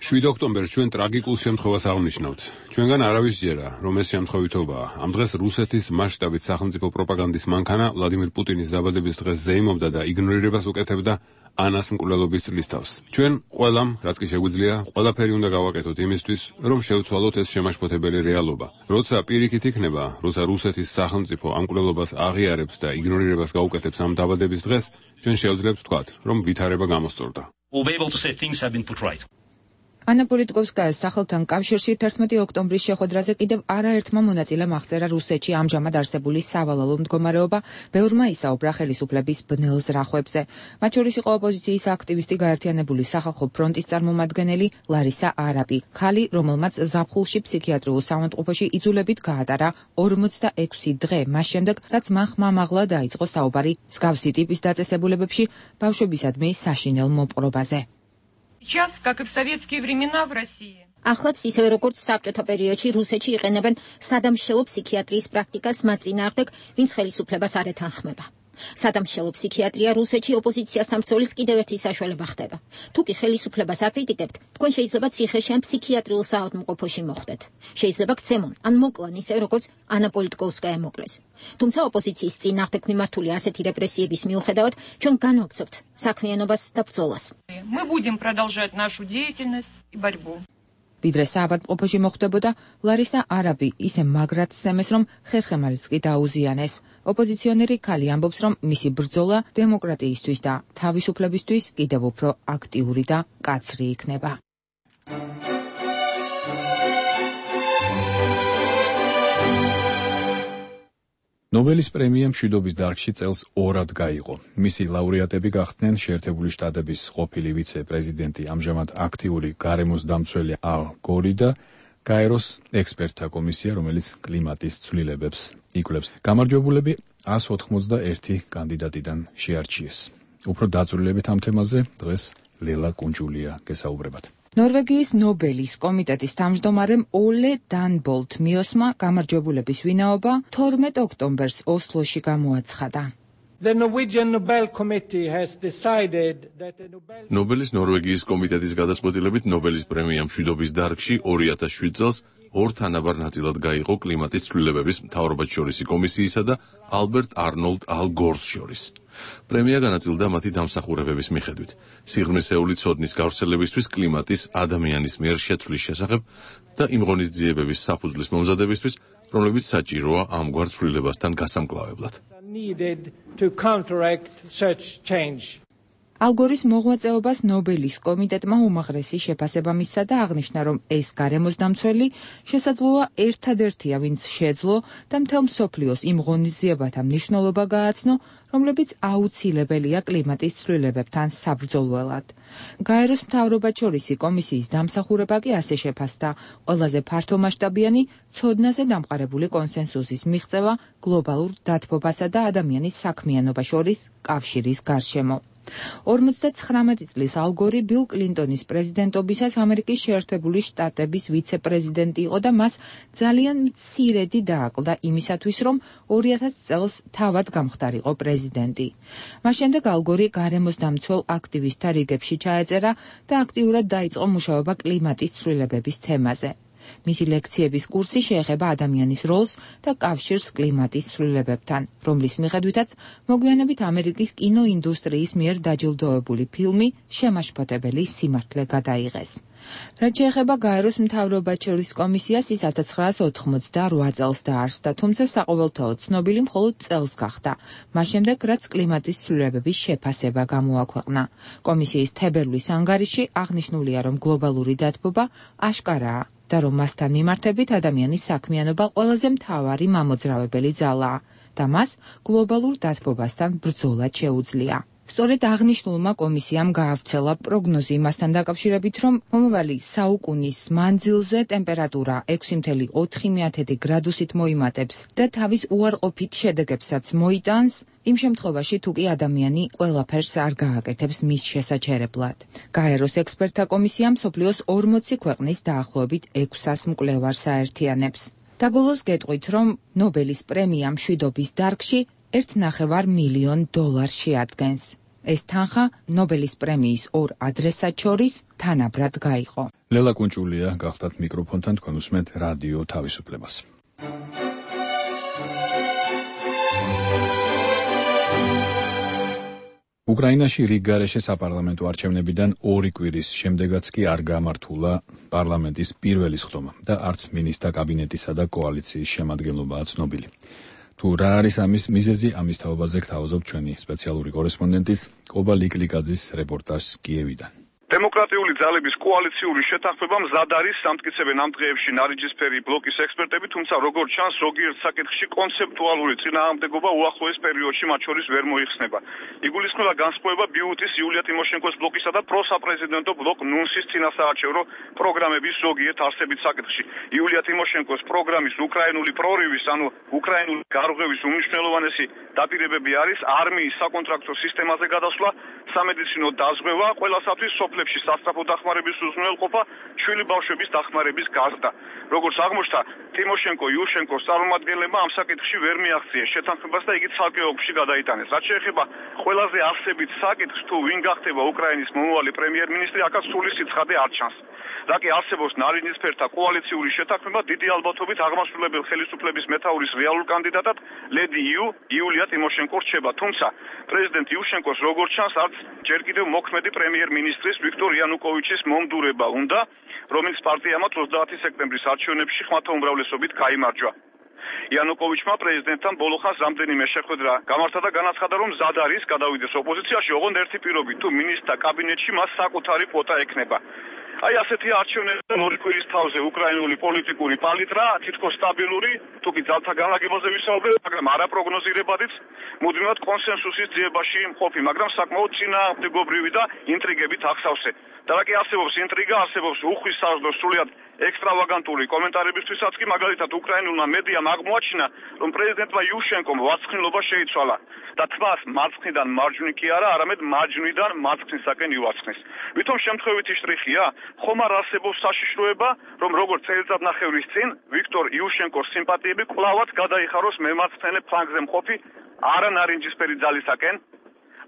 შვიდ ოქტომბერს ჩვენ ტრაგიკულ შემთხვევას აღნიშნავთ. ჩვენგან არავის ჯერა, რომ ეს შემთხვევითობაა. ამ დღეს რუსეთის მასშტაბით სახელმწიფო პროპაგანდის მანქანა ვლადიმირ პუტინის დაბადების დღეს ზეიმობდა და იგნორირებას უკეთებდა ანას მკვლელობის წლისთავს. ჩვენ ყველამ, რაც კი შეგვიძლია, ყველაფერი უნდა გავაკეთოთ იმისთვის, რომ შევცვალოთ ეს შემაშფოთებელი რეალობა. როცა პირიქით იქნება, როცა რუსეთის სახელმწიფო ამ მკვლელობას აღიარებს და იგნორირებას გაუკეთებს ამ დაბადების დღეს, ჩვენ შევძლებთ ვთქვათ, რომ ვითარება გამოსწორდა. ანა პოლიტკოვსკაიას სახელთან კავშირში თერთმეტი ოქტომბრის შეხვედრაზე კიდევ არაერთმა მონაწილემ აღწერა რუსეთში ამჟამად არსებული სავალალო მდგომარეობა, ბევრმა ისაუბრა ხელისუფლების ბნელ ზრახვებზე. მათ შორის იყო ოპოზიციის აქტივისტი გაერთიანებული სახალხო ფრონტის წარმომადგენელი ლარისა არაბი, ქალი, რომელმაც ზაფხულში ფსიქიატრიულ საავადმყოფოში იძულებით გაატარა ორმოცდაექვსი დღე მას შემდეგ, რაც მან ხმამაღლა დაიწყო საუბარი მსგავსი ტიპის დაწესებულებებში ბავშვებისადმი საშინელ მოპყრობაზე. Сейчас, как и в советские времена в России. Ახლაც ისევე როგორც საბჭოთა პერიოდში რუსეთში იყენებენ სადამშელო ფსიქიატრიის პრაქტიკას მათ წინააღმდეგ, ვინც ხელისუფლებას არ ეთანხმება. სადამშელო ფსიქიატრია რუსეთში ოპოზიცია სამცველის კიდევ ერთი საშუალება ხდება. თუ კი ხელისუფლებას აკრიტიკებთ, თქვენ შეიძლება ციხეში ან ფსიქიატრიულ საავადმყოფოში მოხვდეთ. შეიძლება გცემონ ან მოკლან ისე როგორც ანა პოლიტკოვსკაია მოკლეს. თუმცა ოპოზიციის წინააღმდეგ მიმართული ასეთი რეპრესიების მიუხედავად, ჩვენ განვაგრძობთ საქმიანობას და ბრძოლას. Мы будем продолжать нашу деятельность и борьбу. ვიდრე საავადმყოფოში მოხვდებოდა, ლარისა არაბი ისე მაგრად სცემეს, რომ ხერხემალიც კი დაუზიანეს. ოპოზიციონერი ქალი ამბობს, რომ მისი ბრძოლა დემოკრატიისთვის და თავისუფლებისთვის კიდევ უფრო აქტიური და კაცრი იქნება. ნობელის პრემია მშვიდობის დარგში წელს ორად გაიღო. მისი ლაურეატები გახდნენ შეერთებული შტატების ყოფილი ვიცე-პრეზიდენტი, ამჟამად აქტიური გარემოს დამცველი ალ გორი და გაეროს ექსპერტთა კომისია, რომელიც კლიმატის ცვლილებებს იკვლევს. გამარჯვებულები ას ოთხმოცდაერთი კანდიდატიდან შეარჩიეს. უფრო დაწვრილებით ამ თემაზე დღეს ლელა კუნჯულია გესაუბრებათ. ნორვეგიის ნობელის კომიტეტის თავმჯდომარემ ოლე დანბოლთ მიოსმა გამარჯვებულების ვინაობა თორმეტ ოქტომბერს ოსლოში გამოაცხადა. The Norwegian Nobel Committee has decided that the Nobel ნობელის ნორვეგიის კომიტეტის გადაწყვეტილებით ნობელის პრემია მშვიდობის დარგში ორი ათას შვიდ წელს ორ თანაბარ ნაწილად გაიღო კლიმატის ცვლილებების მთავრობათშორისი კომისიისა და ალბერტ არნოლდ ალ გორს შორის. პრემია განაწილდა მათი დამსახურებების მიხედვით. სიღრმისეული ცოდნის გავრცელებისთვის, კლიმატის ადამიანის მიერ შეცვლის შესახებ და იმ ღონისძიებების საფუძვლის მომზადებისთვის, რომლებიც საჭიროა ამგვარ ცვლილებასთან გასამკლავებლად. needed to counteract such change. ალ გორის მოღვაწეობას ნობელის კომიტეტმა უმაღრესი შეფასება მისცა და აღნიშნა, რომ ეს გარემოს დამცველი შესაძლოა ერთადერთია, ვინც შეძლო და მთელ მსოფლიოს იმ ღონისძიებათა მნიშვნელობა გააცნო, რომლებიც აუცილებელია კლიმატის ცვლილებებთან საბრძოლველად. გაეროს მთავრობათშორისი კომისიის დამსახურება კი ასე შეფასდა, ყველაზე ფართომასშტაბიანი ცოდნაზე დამყარებული კონსენსუსის მიღწევა გლობალურ დათბობასა და ადამიანის საქმიანობა შორის კავშირის გარშემო. ორმოცდაცხრამეტი წლის ალ გორი ბილ კლინტონის პრეზიდენტობისას ამერიკის შეერთებული შტატების ვიცე-პრეზიდენტი იყო და მას ძალიან მცირედი დააკლდა იმისათვის, რომ ორი ათას წელს თავად გამხდარიყო პრეზიდენტი. მას შემდეგ ალ გორი გარემოს დამცველ აქტივისტთა რიგებში ჩაეწერა და აქტიურად დაიწყო მუშაობა კლიმატის ცვლილებების თემაზე. მისი ლექციების კურსი შეეხება ადამიანის როლს და კავშირს კლიმატის ცვლილებებთან, რომლის მიხედვითაც მოგვიანებით ამერიკის კინოინდუსტრიის მიერ დაჯილდოებული ფილმი შემაშფოთებელი სიმართლე გადაიღეს. რაც შეეხება გაეროს მთავრობათშორისი კომისიას, ის ათას ცხრაას ოთხმოცდარვა წელს დაარსდა, თუმცა საყოველთაოდ ცნობილი მხოლოდ წელს გახდა, მას შემდეგ, რაც კლიმატის ცვლილებების შეფასება გამოაქვეყნა. კომისიის თებერვლის ანგარიში აღნიშნულია, რომ გლობალური დათბობა აშკარაა და რომ მასთან მიმართებით ადამიანის საქმიანობა ყველაზე მთავარი მამოძრავებელი ძალაა და მას გლობალურ დათბობასთან ბრძოლად შეუძლია. სწორედ აღნიშნულმა კომისიამ გაავრცელა პროგნოზი იმასთან დაკავშირებით, რომ მომავალი საუკუნის მანძილზე ტემპერატურა ექვსი წუთი ოთხი გრადუსით მოიმატებს და თავის უარყოფით შედეგებსაც მოიტანს, იმ შემთხვევაში თუ კი ადამიანი ყველაფერს არ გააკეთებს მის შესაჩერებლად. გაეროს ექსპერტთა კომისია მსოფლიოს ორმოცი ქვეყნის დაახლოებით ექვსას მკვლევარს აერთიანებს. და ბოლოს გეტყვით, რომ ნობელის პრემია მშვიდობის დარგში ერთ ნახევარ მილიონ დოლარს შეადგენს. ეს თანხა ნობელის პრემიის ორ ადრესატ შორის თანაბრად გაიყო. ლელა კუნჭულია გახდათ მიკროფონთან, თქვენ უსმენთ რადიო თავისუფლებას. უკრაინაში რიგგარეშე საპარლამენტო არჩევნებიდან ორი კვირის შემდეგაც კი არ გამართულა პარლამენტის პირველი სხდომა და არც მინისტრთა კაბინეტისა და კოალიციის შემადგენლობაა ცნობილი. თუ რა არის ამის მიზეზი, ამის თაობაზე გთავაზობთ ჩვენი სპეციალური კორესპონდენტის კობა ლიკლიკაძის რეპორტაჟს კიევიდან. დემოკრატიული ძალების კოალიციური შეთანხმება მზად არის სამტკიცებენ ამ დღეებში ნარინჯისფერი ბლოკის ექსპერტები, თუმცა როგორც ჩანს, ზოგიერთ საკითხში კონცეპტუალური წინააღმდეგობა უახლოეს პერიოდში მათ შორის ვერ მოიხსნება. იგულისხმება განსხვავება ბიუტის იულია ტიმოშენკოს ბლოკისა და პროსაპრეზიდენტო ბლოკ ნუნსის წინასაარჩევნო პროგრამების ზოგიერთ არსებით საკითხში. იულია ტიმოშენკოს პროგრამის უკრაინული პრორივის, ანუ უკრაინული გარღვევის უმნიშვნელოვანესი დაპირებები არის არმიის საკონტრაქტო სისტემაზე გადასვლა, სამედიცინო დაზღვევა, ყველასათვის სოფლებში სასწრაფო დახმარების უზრუნველყოფა, ჩვილი ბავშვების დახმარების გაზრდა. როგორც აღმოჩნდა, ტიმოშენკო იუშენკოს წარმომადგენლებმა ამ საკითხში ვერ მიაღწიეს შეთანხმებას და იგი ცალკე ოლქში გადაიტანეს. რაც შეეხება ყველაზე არსებით საკითხს, თუ ვინ გახდება უკრაინის მომავალი პრემიერ-მინისტრი, აქაც სრული სიცხადე არ ჩანს. რაკი არსებობს ნარინჯისფერთა კოალიციური შეთანხმება დიდი ალბათობით აღმასრულებელ ხელისუფლების მეთაურის რეალურ კანდიდატად ლედი იუ იულია ტიმოშენკო რჩება, თუმცა პრეზიდენტ იუშენკოს როგორც ჩანს არც ჯერ კიდევ მოქმედი პრემიერ-მინისტრის ვიქტორ იანუკოვიჩის მომდურება უნდა, რომელიც პარტიამაც ოცდაათი სექტემბრის არჩევნებში ხმათა უმრავლესობით გაიმარჯვა. იანუკოვიჩმა პრეზიდენტთან ბოლოხანს რამდენიმე შეხვედრა გამართა და განაცხადა, რომ მზად არის გადავიდეს ოპოზიციაში, ოღონდ ერთი პირობით, თუ მინისტრთა კაბინეტში მას საკუთარი კვოტა ექნება. აი ასეთი არჩევნები და ორი კვირის თავზე უკრაინული პოლიტიკური პალიტრა თითქოს სტაბილური, თუკი ძალთა განლაგებაზე ვისაუბრებ, მაგრამ არაპროგნოზირებადიც მუდმივად კონსენსუსის ძიებაში მყოფი, მაგრამ საკმაოდ წინააღმდეგობრივი და ინტრიგებით ახსავსე. და რა კი არსებობს ინტრიგა, არსებობს უხვის საზრდო სრულიად ექსტრავაგანტური კომენტარებისთვისაც კი მაგალითად უკრაინულმა მედიამ აღმოაჩინა, რომ პრეზიდენტმა იუშენკომ ვარცხნილობა შეიცვალა და თმას მარცხნიდან მარჯვნივ კი არა, არამედ მარჯვნიდან მარცხნისაკენ ივარცხნეს. ვითომ შემთხვევითი შტრიხია, ხომ არ არსებობს საშიშროება, რომ როგორც წელიწადნახევრის წინ ვიქტორ იუშენკოს სიმპათიები კვლავაც გადაიხაროს მემარცხენე ფლანგზე მყოფი არანარინჯისფერი ძალისაკენ.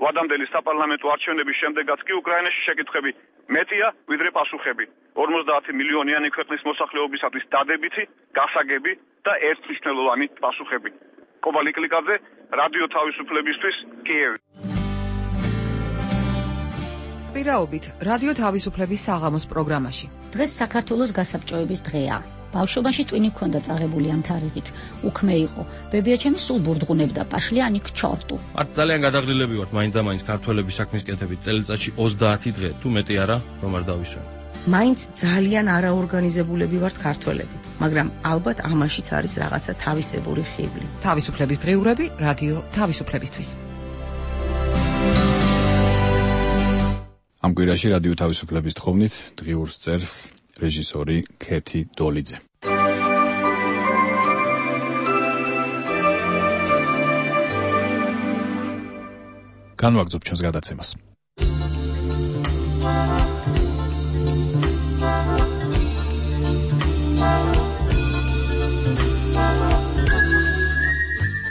ვადამდელი საპარლამენტო არჩევნების შემდეგაც კი უკრაინაში შეკითხები მეტია ვიდრე პასუხები. ორმოცდაათი მილიონიანი ქვეყნის მოსახლეობისათვის დადებითი, გასაგები და ერთმნიშვნელოვანი პასუხები. კობალი კლიკაძე, რადიო თავისუფლებისთვის, კიევი. პირაობით, რადიო თავისუფლების საღამოს პროგრამაში. დღეს საქართველოს გასაბჭოების დღეა. ბავშვობაში ტვინი ქონდა წაღებული ამ თარიღით. უქმე იყო. ბებიაჩემი სულ ბურდღუნებდა პაშლიანი ქჩორტუ. არც ძალიან გადაღლილები ვართ მაინც და მაინც ქართველების საქმის კეთებით წელიწადში ოცდაათი დღე, თუ მეტი არა, რომ არ დავისვენ. მაინც ძალიან არაორგანიზებულები ვართ ქართველები, მაგრამ ალბათ ამაშიც არის რაღაცა თავისებური ხიბლი. თავისუფლების დღეურები რადიო თავისუფლებისთვის. ამ კვირაში რადიო თავისუფლების თხოვნით დღიურს წერს რეჟისორი ქეთი დოლიძე. განვაგრძობ ჩვენს გადაცემას.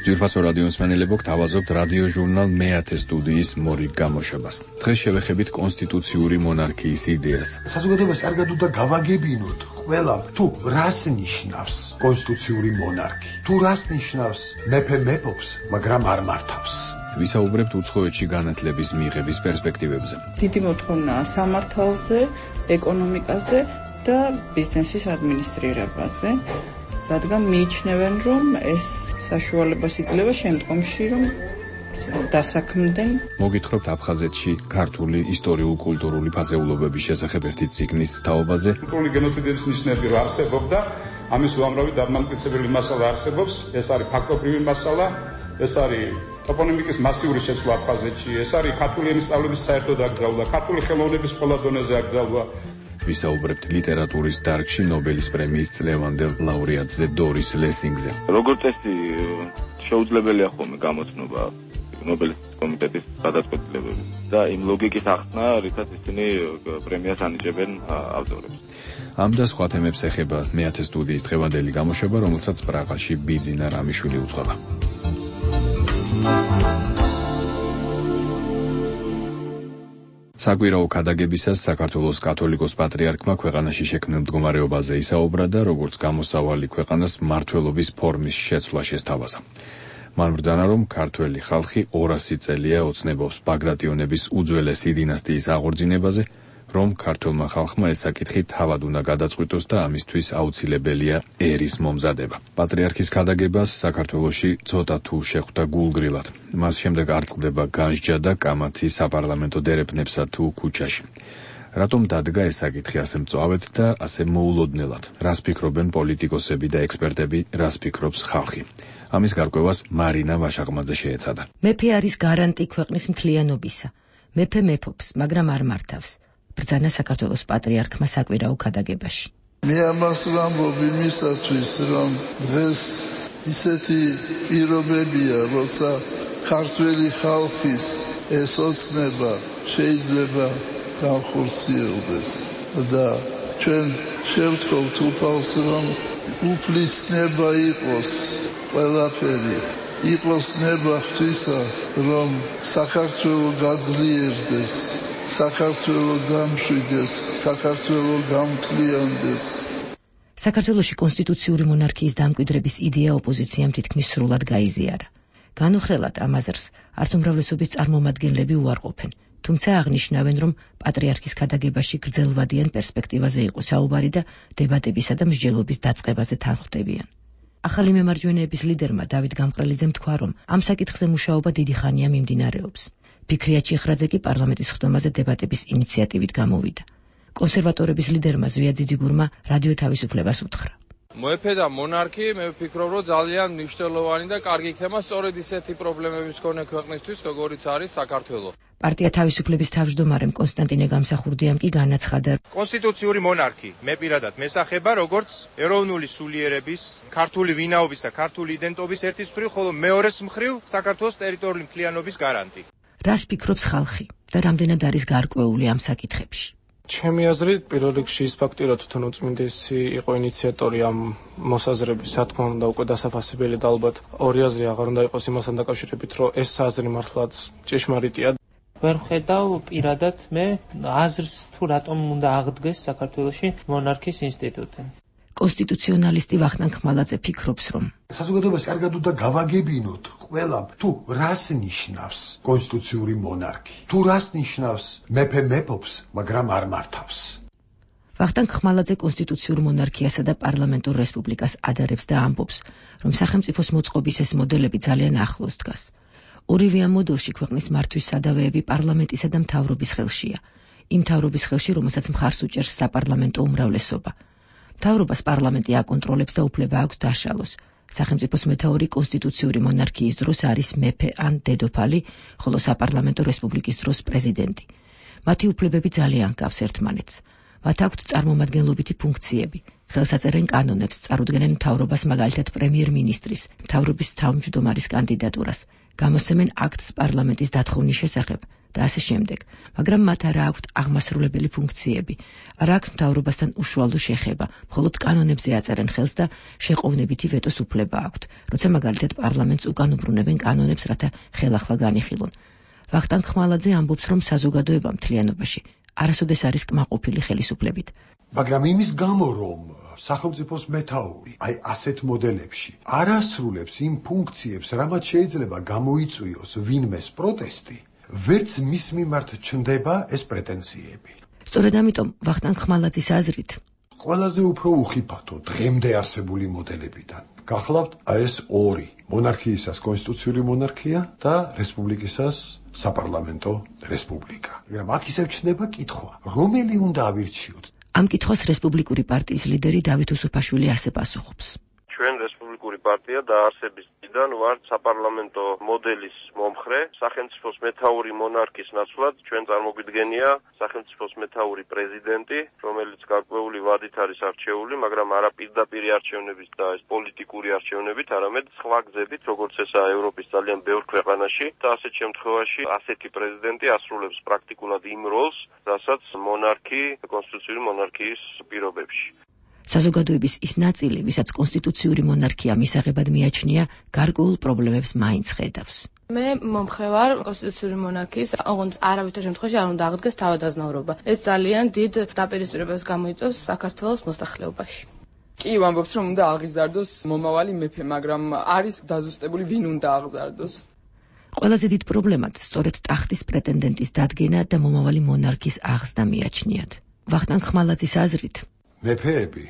ძვირფასო რადიო მსმენელებო, გთავაზობთ რადიო ჟურნალ მეათე სტუდიის მორიგ გამოშვებას. დღეს შევეხებით კონსტიტუციური მონარქიის იდეას. საზოგადოებას კარგად უნდა გავაგებინოთ ყველა, თუ რას ნიშნავს კონსტიტუციური მონარქი, თუ რას ნიშნავს მეფე მეფობს, მაგრამ არ მართავს. ვისაუბრებთ უცხოეთში განათლების მიღების პერსპექტივებზე. დიდი მოთხოვნაა სამართალზე, ეკონომიკაზე და ბიზნესის ადმინისტრირებაზე, რადგან მიიჩნევენ, რომ ეს საშუალებას იძლევა შემდგომში, რომ დასაქმდნენ. მოგითხრობთ აფხაზეთში ქართული ისტორიულ-კულტურული ფასეულობების შესახებ ერთი წიგნის თაობაზე. კულტურული გენოციდების ნიშნები რა არსებობდა, ამის უამრავი დამამტკიცებელი მასალა არსებობს, ეს არის ფაქტობრივი მასალა, ეს არის ტოპონიმიკის მასიური შეცვლა აფხაზეთში, ეს არის ქართული ენის სწავლების საერთო დაკრძალვა, ქართული ხელოვნების ყველა დონეზე აკრძალვა. ვისაუბრებთ ლიტერატურის დარგში ნობელის პრემიის წლევანდელ ლაურეატზე დორის ლესინგზე. როგორც წესი შეუძლებელია ხოლმე გამოცნობა ნობელის კომიტეტის გადაწყვეტილებები და იმ ლოგიკის ახსნა, რითაც ისინი პრემიას ანიჭებენ ავტორებს. ამ და სხვა თემებს ეხება მეათე სტუდიის დღევანდელი გამოშვება, რომელსაც პრაღაში ბიძინა რამიშვილი უძღვება. საკვირაო ქადაგებისას საქართველოს კათოლიკოს პატრიარქმა ქვეყანაში შექმნილ მდგომარეობაზე ისაუბრა და როგორც გამოსავალი ქვეყანას მმართველობის ფორმის შეცვლა შესთავაზა. მან ბრძანა, რომ ქართველი ხალხი ორასი წელია ოცნებობს ბაგრატიონების უძველესი დინასტიის აღორძინებაზე, რომ ქართველმა ხალხმა ეს საკითხი თავად უნდა გადაწყვიტოს და ამისთვის აუცილებელია ერის მომზადება. პატრიარქის ქადაგებას საქართველოში ცოტა თუ შეხვდა გულგრილად. მას შემდეგ არ წყდება განსჯა და კამათი საპარლამენტო დერეფნებსა თუ ქუჩაში. რატომ დადგა ეს საკითხი ასე მწვავედ და ასე მოულოდნელად? რას ფიქრობენ პოლიტიკოსები და ექსპერტები, რას ფიქრობს ხალხი? ამის გარკვევას მარინა ვაშაღმაძე შეეცადა. მეფე არის გარანტი ქვეყნის მთლიანობისა. მეფე მეფობს, მაგრამ არ მართავს. ბრძანა საქართველოს პატრიარქმა საკვირაო ქადაგებაში. მე ამას ვამბობ იმისათვის, რომ დღეს ისეთი პირობებია, როცა ქართველი ხალხის ეს ოცნება შეიძლება განხორციელდეს და ჩვენ შევთხოვთ უფალს, რომ უფლისნება იყოს ყველაფერი, იყოს ნება ღვთისა, რომ საქართველო გაძლიერდეს, საქართველო გამშვიდეს, საქართველო გამთლიანდეს. საქართველოში კონსტიტუციური მონარქიის დამკვიდრების იდეა ოპოზიციამ თითქმის სრულად გაიზიარა. განუხრელად ამ აზრს არც უმრავლესობის წარმომადგენლები უარყოფენ, თუმცა აღნიშნავენ, რომ პატრიარქის ქადაგებაში გრძელვადიან პერსპექტივაზე იყო საუბარი და დებატებისა და მსჯელობის დაწყებაზე თანხმდებიან. ახალი მემარჯვენეების ლიდერმა დავით გამყრელიძემ თქვა, რომ ამ საკითხზე მუშაობა დიდი ხანია მიმდინარეობს. ფიქრია ჩიხრაძე კი პარლამენტის ხდომაზე დებატების ინიციატივით გამოვიდა. კონსერვატორების ლიდერმა ზვია ძიძიგურმა რადიო თავისუფლებას უთხრა. მეფე და მონარქი, მე ვფიქრობ, რომ ძალიან მნიშვნელოვანი და კარგი იქნება სწორედ ისეთი პრობლემების მქონე ქვეყნისთვის, როგორიც არის საქართველო. პარტია თავისუფლების თავმჯდომარემ კონსტანტინე გამსახურდიამ კი განაცხადა, კონსტიტუციური მონარქი მე პირადად მესახება როგორც ეროვნული სულიერების, ქართული ვინაობის და ქართული იდენტობის ერთის მხრივ, ხოლო მეორეს მხრივ საქართველოს ტერიტორიული მთლიანობის გარანტი. რას ფიქრობს ხალხი და რამდენად არის გარკვეული ამ საკითხებში? ჩემი აზრით, პირველ რიგში ის ფაქტი, რომ თვითონ უწმინდესი იყო ინიციატორი ამ მოსაზრების, რა თქმა უნდა, უკვე დასაფასებელი და ალბათ ორი აზრი აღარ უნდა იყოს იმასთან დაკავშირებით, რომ ეს აზრი მართლაც ჭეშმარიტია. ვერ ხედავ პირადად მე აზრს თუ რატომ უნდა აღდგეს საქართველოში მონარქიის ინსტიტუტი. კონსტიტუციონალისტი ვახტანგ ხმალაძე ფიქრობს, რომ საზოგადოებას კარგად უნდა გავაგებინოთ ყველამ, თუ რას ნიშნავს კონსტიტუციური მონარქი, თუ რას ნიშნავს მეფე მეფობს, მაგრამ არ მართავს. ვახტანგ ხმალაძე კონსტიტუციურ მონარქიასა და პარლამენტურ რესპუბლიკას ადარებს და ამბობს, რომ სახელმწიფოს მოწყობის ეს მოდელები ძალიან ახლოს დგას. ორივე ამ მოდელში ქვეყნის მართვის სადავეები პარლამენტისა და მთავრობის ხელშია. იმ მთავრობის ხელში, რომელსაც მხარს უჭერს საპარლამენტო უმრავლესობა. მთავრობას პარლამენტი აკონტროლებს და უფლება აქვს დაშალოს. სახელმწიფოს მეთაური კონსტიტუციური მონარქიის დროს არის მეფე ან დედოფალი, ხოლო საპარლამენტო რესპუბლიკის დროს პრეზიდენტი. მათი უფლებები ძალიან გავს ერთმანეთს. მათ აქვთ წარმომადგენლობითი ფუნქციები. ხელს აწერენ კანონებს, წარუდგენენ მთავრობას, მაგალითად პრემიერ-მინისტრის, მთავრობის თავმჯდომარის კანდიდატურას, გამოსცემენ აქტს პარლამენტის დათხოვნის შესახებ და ასე შემდეგ, მაგრამ მათ არა აქვთ აღმასრულებელი ფუნქციები, არა აქვთ მთავრობასთან უშუალო შეხება, მხოლოდ კანონებზე აწერენ ხელს და შეყოვნებითი ვეტოს უფლება აქვთ, როცა მაგალითად პარლამენტს უკან უბრუნებენ კანონებს, რათა ხელახლა განიხილონ. ვახტანგ ხმალაძე ამბობს, რომ საზოგადოება მთლიანობაში არასოდეს არის კმაყოფილი ხელისუფლებით. მაგრამ იმის გამო, რომ სახელმწიფოს მეთაური აი ასეთ მოდელებში არ ასრულებს იმ ფუნქციებს, რამაც შეიძლება გამოიწვიოს ვინმეს პროტესტი, ვერც მის მიმართ ჩნდება ეს პრეტენზიები. სწორედ ამიტომ ვახტანგ ხმალაძის აზრით, ყველაზე უფრო უხიფათო დღემდე არსებული მოდელებიდან გახლავთ ეს ორი, მონარქიისას კონსტიტუციური მონარქია და რესპუბლიკისას საპარლამენტო რესპუბლიკა. მაგრამ აქ ისევ ჩნდება კითხვა, რომელი უნდა ავირჩიოთ? ამ კითხვას რესპუბლიკური პარტიის ლიდერი დავით უსუფაშვილი ასე პასუხობს. ჩვენ რესპუბლიკური პარტია დაარსების დღიდან ვართ საპარლამენტო მოდელის მომხრე. სახელმწიფოს მეთაური მონარქის ნაცვლად ჩვენ წარმოგვიდგენია სახელმწიფოს მეთაური პრეზიდენტი, რომელიც გარკვეული ვადით არის არჩეული, მაგრამ არა პირდაპირი არჩევნებით და ეს პოლიტიკური არჩევნებით, არამედ სხვა გზებით, როგორც ესაა ევროპის ძალიან ბევრ ქვეყანაში და ასეთ შემთხვევაში ასეთი პრეზიდენტი ასრულებს პრაქტიკულად იმ როლს, რასაც მონარქი კონსტიტუციური მონარქიის პირობებში. საზოგადოების ის ნაწილი, ვისაც კონსტიტუციური მონარქია მისაღებად მიაჩნია, გარკვეულ პრობლემებს მაინც ხედავს. მე მომხრე ვარ კონსტიტუციური მონარქიის, ოღონდ არავითარ შემთხვევაში არ უნდა აღდგეს თავადაზნაურობა. ეს ძალიან დიდ დაპირისპირებას გამოიწვევს საქართველოს მოსახლეობაში. კი, ვამბობთ, რომ უნდა აღიზარდოს მომავალი მეფე, მაგრამ არის დაზუსტებული ვინ უნდა აღზარდოს. ყველაზე დიდ პრობლემად სწორედ ტახტის პრეტენდენტის დადგენა და მომავალი მონარქის აღზრდა მიაჩნიათ. ვახტანგ ხმალაძის აზრით, მეფეები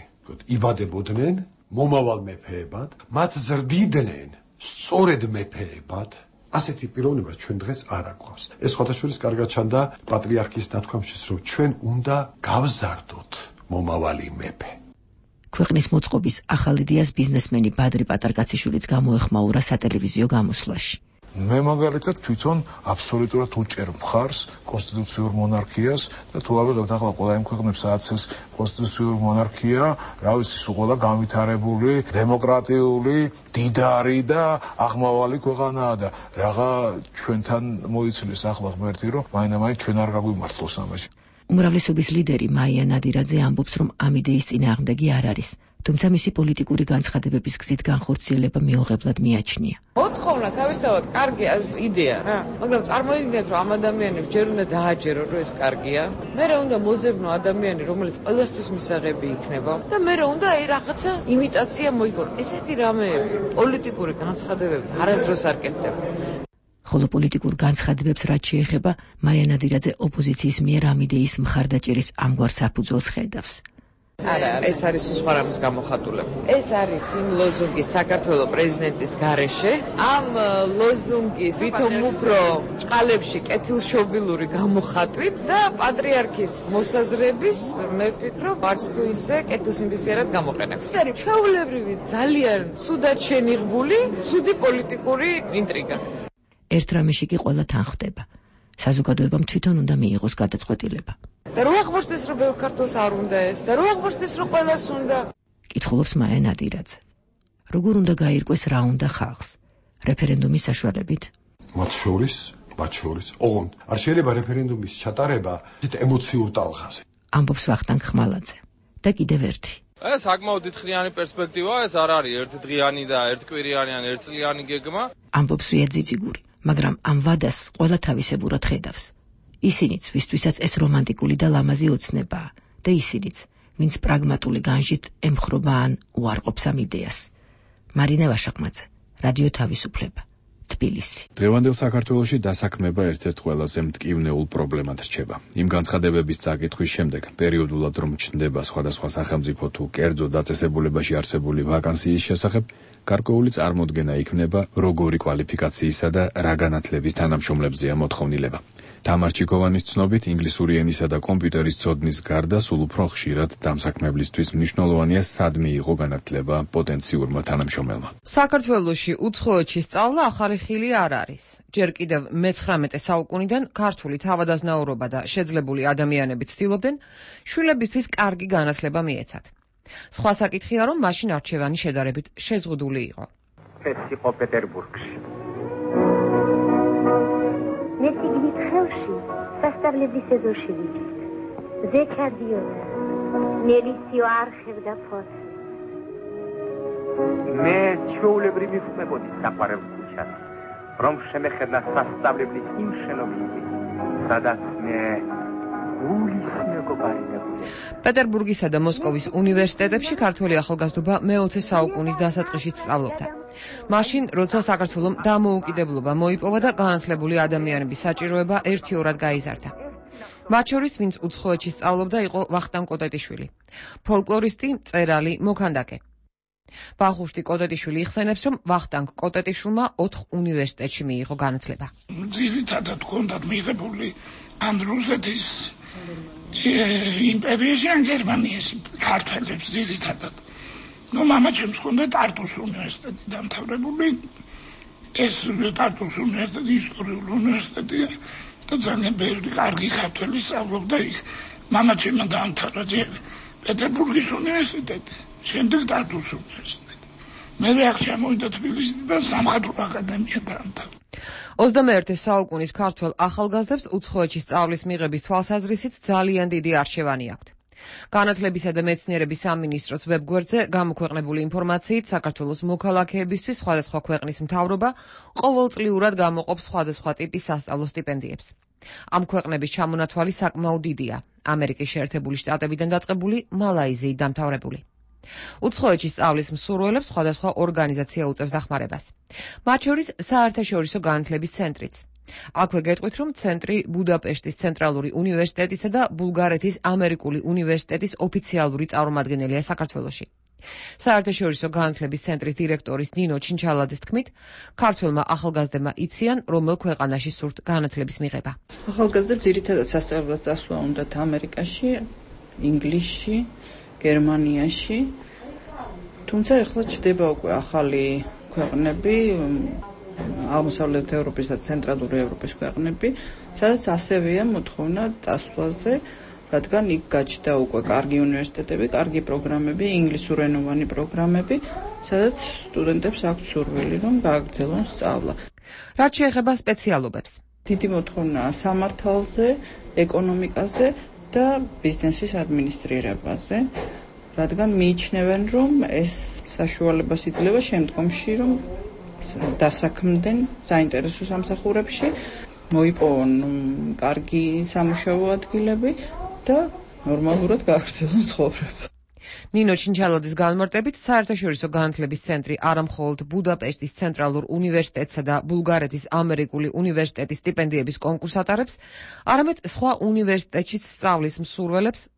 იბადებოდნენ მომავალ მეფეებად, მათ ზრდიდნენ სწორედ მეფეებად ასეთი პიროვნება ჩვენ დღეს არ აგვყავს. ეს ხოთაშურის კარგად ჩანდა პატრიარქის ნათქვამშიც, რომ ჩვენ უნდა გავზარდოთ მომავალი მეფე. ქვეყნის მოწყობის ახალ იდეას ბიზნესმენი ბადრი პატარკაციშვილიც გამოეხმაურა სატელევიზიო გამოსვლაში. მე მაგალითად თვითონ აბსოლუტურად უჭერ მხარს კონსტიტუციურ მონარქიას და თუ ავიღებთ ახლა ყველა იმ ქვეყნებს სადაც ეს კონსტიტუციურ მონარქია, რა ვიცი, სულ ყველა განვითარებული, დემოკრატიული, დიდარი და აღმავალი ქვეყანაა და რაღა ჩვენთან მოიცილეს ახლა ღმერთი, რომ მაინდა-მაინც ჩვენ არ გაგვიმართლოს ამაში. უმრავლესობის ლიდერი მაია ნადირაძე ამბობს, რომ ამ იდეის წინააღმდეგი არ არის. თუმცა მისი პოლიტიკური განცხადებების გზით განხორციელება მიუღებლად მიაჩნია. ოთხოვნა თავისთავად კარგი იდეა რა, მაგრამ წარმოიდგინეთ, რომ ამ ადამიანებს ჯერ უნდა დააჯერო, რომ ეს კარგია, მერე უნდა მოძებნო ადამიანი, რომელიც ყველასთვის მისაღები იქნება და მერე უნდა აი რაღაცა იმიტაცია მოიგო. ესეთი რამეები პოლიტიკური განცხადებებით არასდროს არ კეთდება. ხოლო პოლიტიკურ განცხადებებს რაც შეეხება, მაია ნადირაძე ოპოზიციის მიერ ამ იდეის მხარდაჭერის ამგვარ საფუძველს ხედავს. არა, ეს არის სხვა რამის გამოხატულება. ეს არის იმ ლოზუნგის საქართველოს პრეზიდენტის გარეშე, ამ ლოზუნგის ვითომ უფრო ჭყალებში კეთილშობილური გამოხატვით და პატრიარქის მოსაზრების, მე ვფიქრობ, არც თუ ისე კეთილსინდისიერად გამოყენებით. ეს არის ჩვეულებრივი, ძალიან ცუდად შენიღბული, ცუდი პოლიტიკური ინტრიგა. ერთ რამეში კი ყველა თან ხვდება. საზოგადოებამ თვითონ უნდა მიიღოს გადაწყვეტილება. და რო აღმოჩნდეს, რომ ბევრ ქართველს არ უნდა ეს, და რო აღმოჩნდეს, რომ ყველას უნდა. კითხულობს მაია ნადირაძე. როგორ უნდა გაირკვეს რა უნდა ხალხს? რეფერენდუმის საშუალებით? მათ შორის, მათ შორის, ოღონდ არ შეიძლება რეფერენდუმის ჩატარება ისეთ ემოციურ ტალღაზე. ამბობს ვახტანგ ხმალაძე. და კიდევ ერთი. ეს საკმაოდ დიდხნიანი პერსპექტივაა, ეს არ არის ერთდღიანი და ერთკვირიანი ან ერთწლიანი გეგმა. ამბობს ვია ძიძიგური, მაგრამ ამ ვადას ყველა თავისებურად ხედავს. ისინიც, ვისთვისაც ეს რომანტიკული და ლამაზი ოცნებაა და ისინიც, ვინც პრაგმატული განჟით ემხრობა ან უარყოფს ამ იდეას. მარინა ვაშაყმაძე, რადიო თავისუფლება, თბილისი. დღევანდელ საქართველოში დასაქმება ერთ-ერთ ყველაზე მტკივნეულ პრობლემად რჩება. იმ განცხადებების წაკითხვის შემდეგ, პერიოდულად რომ ჩნდება სხვადასხვა სახელმწიფო თუ კერძო დაწესებულებაში არსებული ვაკანსიის შესახებ, გარკვეული წარმოდგენა იქნება, როგორი კვალიფიკაციისა და რა განათლების თანამშრომლებზეა მოთხოვნილება. თამარ ჩიქოვანის ცნობით, ინგლისური ენისა და კომპიუტერის ცოდნის გარდა სულ უფრო ხშირად დამსაქმებლისთვის მნიშვნელოვანია სად მიიღო განათლება პოტენციურმა თანამშრომელმა. საქართველოში უცხოეთში სწავლა ახალი ხილი არ არის. ჯერ კიდევ მეცხრამეტე საუკუნიდან ქართული თავადაზნაურობა და შეძლებული ადამიანები ცდილობდნენ შვილებისთვის კარგი განათლება მიეცათ. სხვა საკითხია, რომ მაშინ არჩევანი შედარებით შეზღუდული იყო. ეს იყო პეტერბურგში. მე სიგნით ხელში სასწავლების ეზოში ვიჭით. ზე ჩადიოდა. მელისიო არ ხედა ფოს. მე ჩვეულებრივი ვხმებოდი საყვარელ ქუჩას, რომ შემეხედა სასწავლებლის იმ შენობებში, სადაც მე გულის მეგობარი მეგობარი. პეტერბურგისა და მოსკოვის უნივერსიტეტებში ქართველი ახალგაზრდობა მეოცე საუკუნის დასაწყისში სწავლობდა. მაშინ, როცა საქართველომ დამოუკიდებლობა მოიპოვა და განათლებული ადამიანების საჭიროება ერთიორად გაიზარდა. მათ შორის, ვინც უცხოეთში სწავლობდა, იყო ვახტანგ კოტეტიშვილი, ფოლკლორისტი, მწერალი, მოქანდაკე. ბახუშტი კოტეტიშვილი იხსენებს, რომ ვახტანგ კოტეტიშვილმა ოთხ უნივერსიტეტში მიიღო განათლება. ძირითადად ჰქონდათ მიღებული ან რუსეთის იმპერიაში, ან გერმანიაში ქართველებს ძირითადად. ნუ მამაჩემს ჰქონდა ტარტუს უნივერსიტეტი დამთავრებული. ეს ტარტუს უნივერსიტეტი ისტორიული უნივერსიტეტია და ძალიან ბევრი კარგი ქართველი სწავლობდა იქ. მამაჩემმა დაამთავრა ჯერ პეტერბურგის უნივერსიტეტი, შემდეგ ტარტუს უნივერსიტეტი. მე აქ ჩამოვიდა თბილისიდან და სამხატვრო აკადემია დაამთავრა. ოცდამეერთე საუკუნის ქართველ ახალგაზრდებს უცხოეთში სწავლის მიღების თვალსაზრისით ძალიან დიდი არჩევანი აქვთ. განათლებისა და მეცნიერების სამინისტროს ვებგვერდზე გამოქვეყნებული ინფორმაციით, საქართველოს მოქალაქეებისთვის სხვადასხვა ქვეყნის მთავრობა ყოველწლიურად გამოყოფს სხვადასხვა ტიპის სასწავლო სტიპენდიებს. ამ ქვეყნების ჩამონათვალი საკმაოდ დიდია. ამერიკის შეერთებული შტატებიდან დაწყებული, მალაიზიით დამთავრებული. უცხოეთში სწავლის მსურველებს სხვადასხვა ორგანიზაცია უწევს დახმარებას. მათ შორის საერთაშორისო განათლების ცენტრიც. აქვე გეტყვით, რომ ცენტრი ბუდაპეშტის ცენტრალური უნივერსიტეტისა და ბულგარეთის ამერიკული უნივერსიტეტის ოფიციალური წარმომადგენელია საქართველოში. საერთაშორისო განათლების ცენტრის დირექტორის ნინო ჩინჩალაძის თქმით, ქართველმა ახალგაზრდებმა იციან, რომელ ქვეყანაში სურთ განათლების მიღება. ახალგაზრდებს ძირითადად სასწავლებლად წასვლა უნდათ ამერიკაში, ინგლისში, გერმანიაში. თუმცა ეხლა ჩდება უკვე ახალი ქვეყნები, აღმოსავლეთ ევროპის და ცენტრალური ევროპის ქვეყნები, სადაც ასევეა მოთხოვნა წასვლაზე, რადგან იქ გაჩნდა უკვე კარგი უნივერსიტეტები, კარგი პროგრამები, ინგლისურენოვანი პროგრამები, სადაც სტუდენტებს აქვთ სურვილი, რომ გააგრძელონ სწავლა. რაც შეეხება სპეციალობებს. დიდი მოთხოვნა სამართალზე, ეკონომიკაზე და ბიზნესის ადმინისტრირებაზე, რადგან მიიჩნევენ, რომ ეს საშუალებას იძლევა შემდგომში, რომ დასაქმდნენ საინტერესო სამსახურებში, მოიპოვონ კარგი სამუშაო ადგილები და ნორმალურად გააგრძელონ ცხოვრება. ნინო ჩინჩალაძის განმარტებით, საერთაშორისო განათლების ცენტრი არა მხოლოდ ბუდაპეშტის ცენტრალურ უნივერსიტეტსა და ბულგარეთის ამერიკული უნივერსიტეტის სტიპენდიების კონკურსს ატარებს, არამედ სხვა უნივერსიტეტშიც სწავლის მსურველებს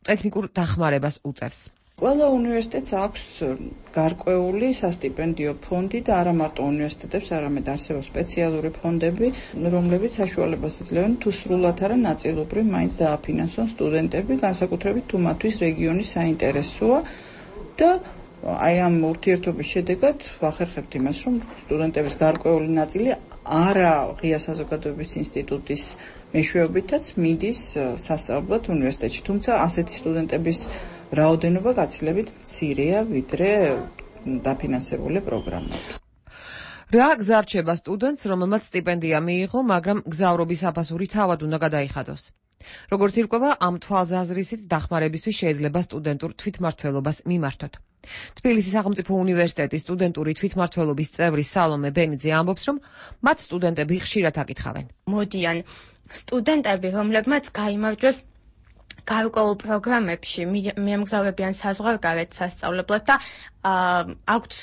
ტექნიკურ დახმარებას უწევს. ყველა უნივერსიტეტს აქვს გარკვეული სასტიპენდიო ფონდი და არა მარტო უნივერსიტეტებს, არამედ არსებობს სპეციალური ფონდები, რომლებიც საშუალებას იძლევენ თუ სრულად არა ნაწილობრივ მაინც დააფინანსონ სტუდენტები, განსაკუთრებით თუ მათთვის რეგიონი საინტერესოა და აი ამ ურთიერთობის შედეგად ვახერხებთ იმას, რომ სტუდენტების გარკვეული ნაწილი არა ღია საზოგადოების ინსტიტუტის მეშვეობითაც მიდის სასწავლებლად უნივერსიტეტში, თუმცა ასეთი სტუდენტების რაოდენობა გაცილებით მცირეა, ვიდრე დაფინანსებული პროგრამები. რა გზა რჩება სტუდენტს, რომელმაც სტიპენდია მიიღო, მაგრამ გზავრობის აფასური თავად უნდა გადაიხადოს. როგორც ირკვევა, ამ თვალსაზრისით დახმარებისთვის შეიძლება სტუდენტურ თვითმმართველობას მიმართოთ. თბილისის სახელმწიფო უნივერსიტეტის სტუდენტური თვითმმართველობის წევრი სალომე ბენიძე ამბობს, რომ მათ სტუდენტები ხშირად აკითხავენ. მოდიან სტუდენტები, რომლებმაც გაიმარჯვეს გარკვეულ პროგრამებში, მიემგზავრებიან საზღვარგარეთ სასწავლებლად და აქვთ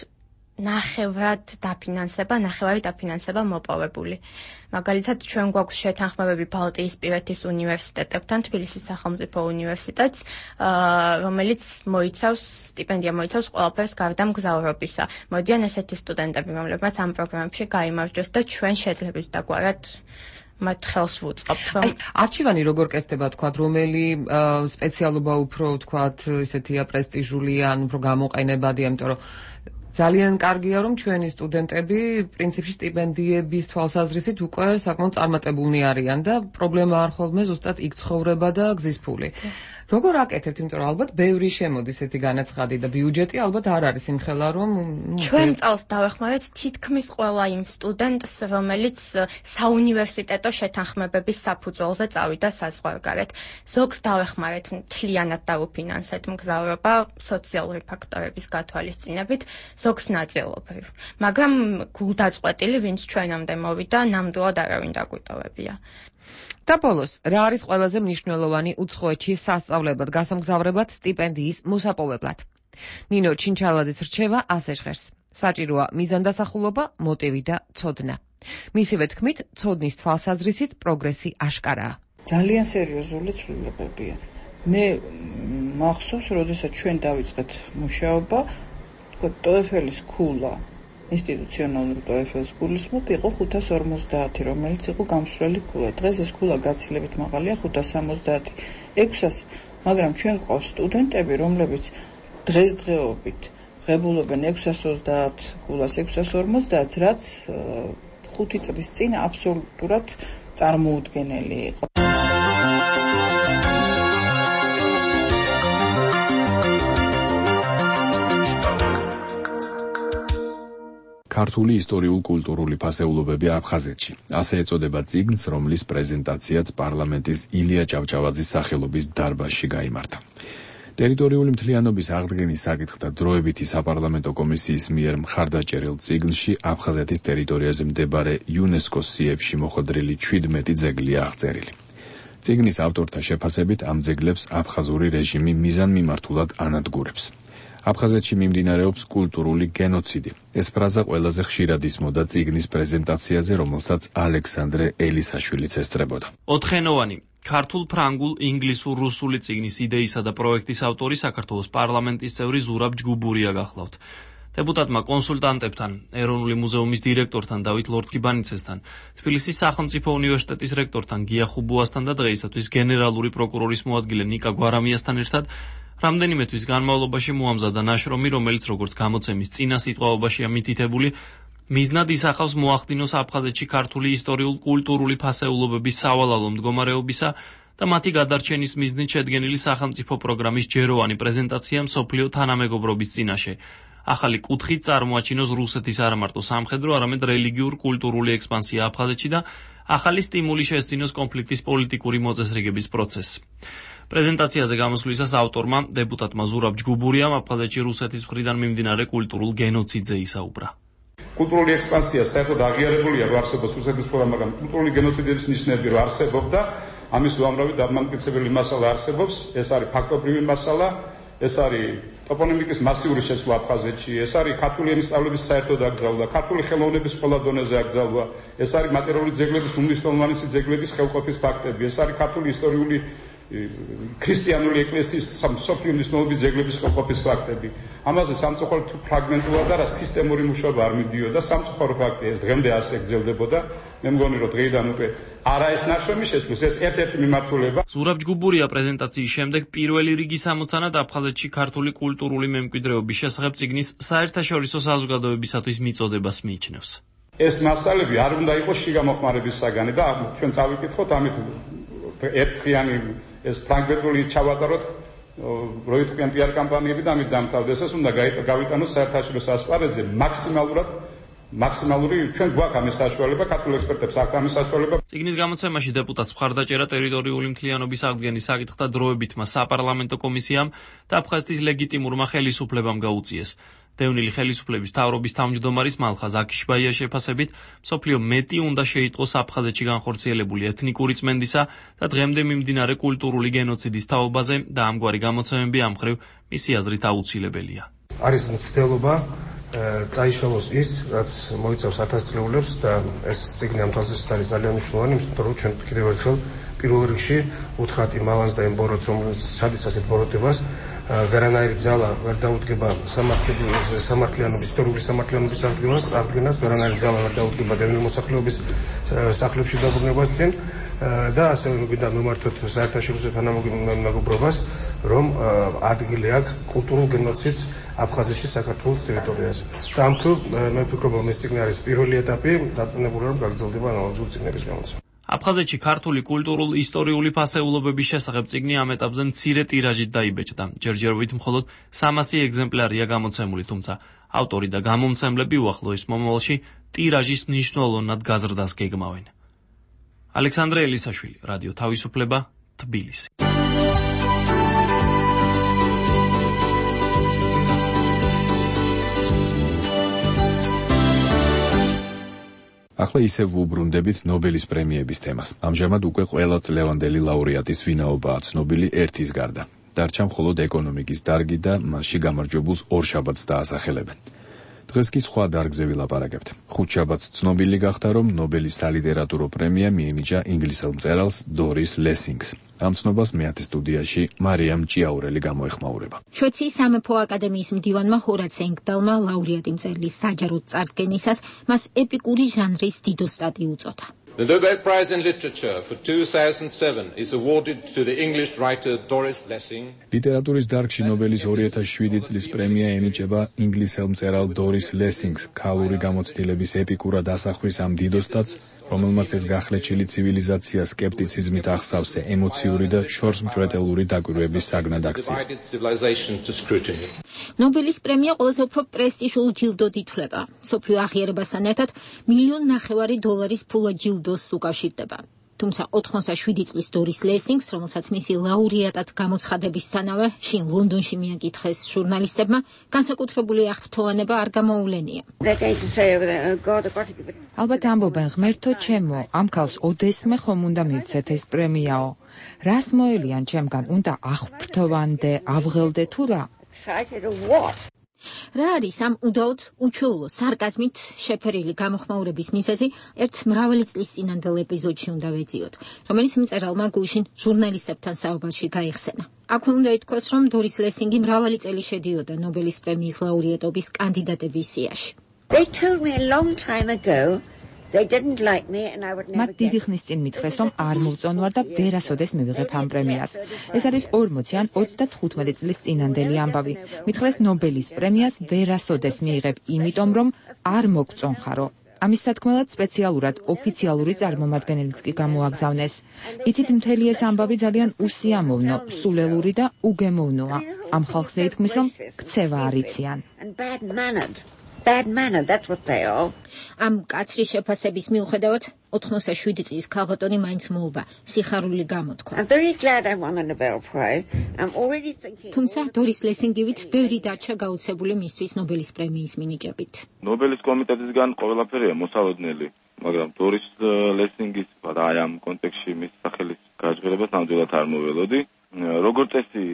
ნახევრად დაფინანსება, ნახევარი დაფინანსება მოპოვებული. მაგალითად, ჩვენ გვაქვს შეთანხმებები ბალტიისპირეთის უნივერსიტეტებთან, თბილისის სახელმწიფო უნივერსიტეტს, რომელიც მოიცავს სტიპენდია მოიცავს ყველაფერს გარდა მგზავრობისა. მოდიან ესეთი სტუდენტები, რომლებმაც ამ პროგრამებში გაიმარჯვეს და ჩვენ შეძლებს დაგვარად მათ ხელს ვუწყობთ, რომ არჩევანი როგორ კეთდება, თქვათ, რომელი სპეციალობა უფრო, თქვათ, ესეთია პრესტიჟულია, ან უფრო გამოყენებადია, იმიტომ რომ ძალიან კარგია, რომ ჩვენი სტუდენტები პრინციპში სტიპენდიების თვალსაზრისით უკვე საკმაოდ წარმატებულნი არიან და პრობლემა არ ხოლმე ზუსტად იქ ცხოვრება და გზის ფული. როგორ აკეთებთ, იმიტომ რომ ალბათ ბევრი შემოდის ესეთი განაცხადი და ბიუჯეტი ალბათ არ არის იმხელა, რომ ჩვენ წელს დავეხმარეთ თითქმის ყველა იმ სტუდენტს, რომელიც საუნივერსიტეტო შეთანხმებების საფუძველზე წავიდა საზღვარგარეთ. ზოგს დავეხმარეთ მთლიანად დაუფინანსეთ მგზავრობა სოციალური ფაქტორების გათვალისწინებით, ზოგს ნაწილობრივ. მაგრამ გულდაწყვეტილი, ვინც ჩვენამდე მოვიდა, ნამდვილად არავინ დაგვიტოვებია. და ბოლოს, რა არის ყველაზე მნიშვნელოვანი უცხოეთში სასწავლებლად გასამგზავრებლად სტიპენდიის მოსაპოვებლად? ნინო ჩინჩალაძის რჩევა ასე ჟღერს. საჭიროა მიზანდასახულობა, მოტივი და ცოდნა. მისივე თქმით, ცოდნის თვალსაზრისით პროგრესი აშკარაა. ძალიან სერიოზული ცვლილებებია. მე მახსოვს, როდესაც ჩვენ დავიწყეთ მუშაობა, ტოეფელის ქულა, ინსტიტუციონალური ტოეფელის გულისხმობ იყო ხუთას ორმოცდაათი, რომელიც იყო გამსვლელი ქულა. დღეს ეს ქულა გაცილებით მაღალია ხუთას სამოცდაათი, ექვსას, მაგრამ ჩვენ გვყავს სტუდენტები, რომლებიც დღესდღეობით ღებულობენ ექვსას ოცდაათ ქულას, ექვსას ორმოცდაათს, რაც ხუთი წლის წინ აბსოლუტურად წარმოუდგენელი იყო. ქართული ისტორიულ-კულტურული ფასეულობები აფხაზეთში. ასე ეწოდება წიგნს, რომლის პრეზენტაციაც პარლამენტის ილია ჭავჭავაძის სახელობის დარბაზში გაიმართა. ტერიტორიული მთლიანობის აღდგენის საკითხთა დროებითი საპარლამენტო კომისიის მიერ მხარდაჭერილ წიგნში აფხაზეთის ტერიტორიაზე მდებარე იუნესკოს სიებში მოხვედრილი ჩვიდმეტი ძეგლია აღწერილი. წიგნის ავტორთა შეფასებით ამ ძეგლებს აფხაზური რეჟიმი მიზანმიმართულად ანადგურებს. აფხაზეთში მიმდინარეობს კულტურული გენოციდი. ეს ფრაზა ყველაზე ხშირად ისმოდა წიგნის პრეზენტაციაზე, რომელსაც ალექსანდრე ელისაშვილიც ესწრებოდა. ოთხენოვანი ქართულ, ფრანგულ, ინგლისურ, რუსული წიგნის იდეისა და პროექტის ავტორი საქართველოს პარლამენტის წევრი ზურაბ ჯგუბურია გახლავთ. დეპუტატმა კონსულტანტებთან, ეროვნული მუზეუმის დირექტორთან დავით ლორთქიბანიცესთან, თბილისის სახელმწიფო უნივერსიტეტის რექტორთან გია ხუბუასთან და დღეისათვის გენერალური პროკურორის მოადგილე ნიკა გვარამიასთან ერთად რამდენიმე თვის განმავლობაში მოამზადა ნაშრომი, რომელიც როგორც გამოცემის წინა სიტყვაობაშია მითითებული, მიზნად ისახავს მოახდინოს აფხაზეთში ქართული ისტორიულ-კულტურული ფასეულობების სავალალო მდგომარეობისა და მათი გადარჩენის მიზნით შედგენილი სახელმწიფო პროგრამის ჯეროვანი პრეზენტაცია მსოფლიო თანამეგობრობის წინაშე. ახალი კუთხით წარმოაჩინოს რუსეთის არამარტო სამხედრო, არამედ რელიგიურ-კულტურული ექსპანსია აფხაზეთში და ახალი სტიმული შესწინოს კონფლიქტის პოლიტიკური მოწესრიგების პროცესს. პრეზენტაციაზე გამოსვლისას ავტორმა, დეპუტატმა ზურაბ ჯგუბურიამ აფხაზეთში რუსეთის მხრიდან მიმდინარე კულტურულ გენოციდზე ისაუბრა. კულტურული ექსპანსია საერთოდ აღიარებულია რო არსებობს რუსეთის მხრიდან, მაგრამ კულტურული გენოციდის ნიშნები რო არსებობდა, ამის უამრავი დამამტკიცებელი მასალა არსებობს, ეს არის ფაქტობრივი მასალა, ეს არის ტოპონიმიკის მასიური შეცვლა აფხაზეთში, ეს არის ქართული ენის სწავლების საერთო დაკრძალვა, ქართული ხელოვნების ყველა დონეზე აკრძალვა, ეს არის მატერიალური ძეგლების უმნიშვნელოვანესი ძეგლების ხელყოფის ფაქტები, ეს არის ქართული ისტორიული ქრისტიანული ეკლესიის მსოფლიო მნიშვნელობის ძეგლების ხელყოფის ფაქტები. ამაზე სამწუხაროდ ფრაგმენტულად და სისტემური მუშაობა არ მიდიოდა, სამწუხარო ფაქტია, ეს დღემდე ასე გრძელდებოდა. მე მგონი რომ დღეიდან უკვე არა ეს ნაშრომი შეცვლის, ეს ერთ-ერთი მიმართულება. ზურაბ ჯგუბურია პრეზენტაციის შემდეგ პირველი რიგის ამოცანად აფხაზეთში ქართული კულტურული მემკვიდრეობის შესახებ წიგნის საერთაშორისო საზოგადოებისათვის მიწოდებას მიიჩნევს. ეს მასალები არ უნდა იყოს შიგამოხმარების საგანი და ჩვენ წავიკითხოთ ამით ერთხიანი ეს ფრანგბეტული ჩავატაროთ როიტყვიან პიარ კამპანიები და ამით დამთავრდეს. ეს უნდა გავიტანოს საერთაშორისო ასპარეზზე მაქსიმალურად მაქსიმალური ჩვენ გვაქვს ამის საშუალება, ქართულ ექსპერტებს აქვს ამის საშუალება. წიგნის გამოცემაში დეპუტატს მხარდაჭერა ტერიტორიული მთლიანობის აღდგენის საკითხთა დროებითმა საპარლამენტო კომისიამ და აფხაზეთის ლეგიტიმურმა ხელისუფლებამ გაუწიეს. დევნილი ხელისუფლების მთავრობის თავმჯდომარის მალხაზ აკიშბაიას შეფასებით, მსოფლიო მეტი უნდა შეიტყოს აფხაზეთში განხორციელებული ეთნიკური წმენდისა და დღემდე მიმდინარე კულტურული გენოციდის თაობაზე და ამგვარი გამოცემები ამ მხრივ მისი აზრით აუცილებელია. არის მცდელობა წაიშალოს ის, რაც მოიცავს ათასწლეულებს და ეს წიგნი ამ თვალსაზრისით არის ძალიან მნიშვნელოვანი, იმიტომ რომ ჩვენ კიდევ ერთხელ პირველ რიგში უთხრათ იმ ალანს და იმ ბოროტს, რომელიც ჩადის ასეთ ბოროტებას, ვერანაირი ძალა ვერ დაუდგება სამართლიანობის, ისტორიული სამართლიანობის აღდგენას, ვერანაირი ძალა ვერ დაუდგება დევნილი მოსახლეობის სახლებში დაბრუნებას წინ და ასევე გვინდა მიმართოთ საერთაშორისო თანამეგობრობას, რომ ადგილი აქვს კულტურულ გენოციდს აფხაზეთში საქართველოს ტერიტორიაზე. და ამ თუ მე ვფიქრობ, რომ ეს წიგნი არის პირველი ეტაპი, დარწმუნებული რომ გაგრძელდება ანალოგიური წიგნების გამოცემა. აფხაზეთში ქართული კულტურულ-ისტორიული ფასეულობების შესახებ წიგნი ამ ეტაპზე მცირე ტირაჟით დაიბეჭდა. ჯერჯერობით მხოლოდ სამასი ეგზემპლარია გამოცემული, თუმცა ავტორი და გამომცემლები უახლოეს მომავალში ტირაჟის მნიშვნელოვნად გაზრდას გეგმავენ. ალექსანდრე ელისაშვილი, რადიო თავისუფლება, თბილისი. ახლა ისევ ვუბრუნდებით ნობელის პრემიების თემას. ამჟამად უკვე ყველა წლევანდელი ლაურეატის ვინაობაა ცნობილი ერთის გარდა. დარჩა მხოლოდ ეკონომიკის დარგი და მასში გამარჯვებულს ორშაბათს დაასახელებენ. დღეს კი სხვა დარგზე ვილაპარაკებთ. ხუთშაბათს ცნობილი გახდა, რომ ნობელის სალიტერატურო პრემია მიენიჭა ინგლისელ მწერალს დორის ლესინგს. ამ ცნობას მეათე სტუდიაში მარიამ ჭიაურელი გამოეხმაურება. შვეიცარიის სამეფო აკადემიის მდივანმა ჰორაც ენგდალმა ლაურეატი მწერლის საჯაროდ წარდგენისას მას ეპიკური ჟანრის დიდო სტატი უწოდა. The Nobel Prize in Literature for two thousand seven is awarded to the English writer Doris Lessing. ლიტერატურის დარგში ნობელის ორი ათას შვიდი წლის პრემია ენიჭება ინგლისელ მწერალ დორის ლესინგს ქალური გამოცდილების ეპიკურად ასახვის ამ დიდო სტატს, რომელმაც ეს გახლეჩილი ცივილიზაცია სკეპტიციზმით ახსავს ემოციური და შორსმჭრეტელური დაკვირვების საგნად აქცია. ნობელის პრემია ყველაზე უფრო პრესტიჟულ ჯილდოდ ითვლება. მსოფლიო აღიარებასთან ერთად მილიონ ნახევარი დოლარის ფულა ჯილდოს უკავშირდება. თუმცა ოთხმოცდაშვიდი წლის დორის ლესინგს, რომელსაც მისი ლაურეატად გამოცხადებისთანავე შინ ლონდონში მიაკითხეს ჟურნალისტებმა, განსაკუთრებული აღფრთოვანება არ გამოუვლენია. ალბათ ამბობენ ღმერთო ჩემო, ამ ქალს ოდესმე ხომ უნდა მივცეთ ეს პრემიაო. რას მოელიან ჩემგან, უნდა აღფრთოვანდე, ავღელდე თუ რა? excited or what? რა არის ამ უდაოდ უჩვეულო სარკაზმით შეფერილი გამოხმაურების მიზეზი ერთ მრავალი წლის წინანდელ ეპიზოდში უნდა ვეძიოთ, რომელიც მწერალმა გულშინ ჟურნალისტებთან საუბარში გაიხსენა. აქვე უნდა ითქვას, რომ დორის ლესინგი მრავალი წელი შედიოდა ნობელის პრემიის ლაურეატობის კანდიდატების სიაში. They told me a long time ago they didn't like me and I would never მათ დიდი ხნის წინ მითხრეს, რომ არ მოვწონვარ და ვერასოდეს მივიღებ ამ პრემიას. ეს არის ორმოცი ან ოცდათხუთმეტი წლის წინანდელი ამბავი. მითხრეს ნობელის პრემიას ვერასოდეს მიიღებ, იმიტომ რომ არ მოგწონხარო. ამის სათქმელად სპეციალურად ოფიციალური წარმომადგენელიც კი გამოაგზავნეს. იცით, მთელი ეს ამბავი ძალიან უსიამოვნო, სულელური და უგემოვნოა. ამ ხალხს ეთქმის, რომ ქცევა არიციან. Bad manner, that's what they are. ამ კაცრი შეფასების მიუხედავად ოთხმოცდაშვიდი წლის ქალბატონი მაინც მოულბა სიხარული გამოთქვა. I'm very glad I won the Nobel Prize. I'm already thinking. თუმცა დორის ლესინგივით ბევრი დარჩა გაუცებული მისთვის ნობელის პრემიის მინიჭებით. ნობელის კომიტეტისგან ყველაფერია მოსალოდნელი, მაგრამ დორის ლესინგის აი ამ კონტექსტში მის სახელის გაჟღერებას ნამდვილად არ მოველოდი. როგორც წესი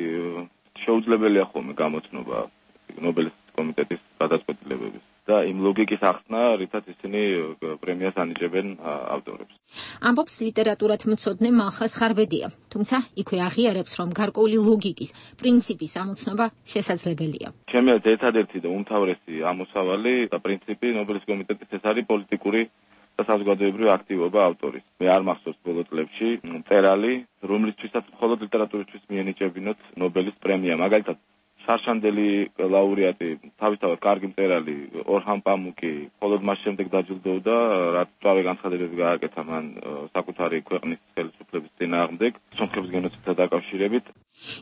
შეუძლებელია ხოლმე გამოცნობა ნობელის კომიტეტის გადაწყვეტილებების და იმ ლოგიკის ახსნა, რითაც ისინი პრემიას ანიჭებენ ავტორებს. ამბობს ლიტერატურად მცოდნე მალხას ხარბედია, თუმცა იქვე აღიარებს, რომ გარკვეული ლოგიკის, პრინციპის ამოცნობა შესაძლებელია. ჩემი აზრით ერთადერთი და უმთავრესი ამოსავალი და პრინციპი ნობელის კომიტეტის ეს არის პოლიტიკური და საზოგადოებრივი აქტივობა ავტორის. მე არ მახსოვს ბოლო წლებში მწერალი, რომლისთვისაც მხოლოდ ლიტერატურისთვის მიენიჭებინოთ ნობელის პრემია, მაგალითად შარშანდელი ლაურეატი, თავისთავად კარგი მწერალი ორჰან პამუკი, მხოლოდ მას შემდეგ დაჯილდოვდა, რაც სწავე განცხადებები გააკეთა მან საკუთარი ქვეყნის ხელისუფლების წინააღმდეგ, სომხების გენოციდთან დაკავშირებით.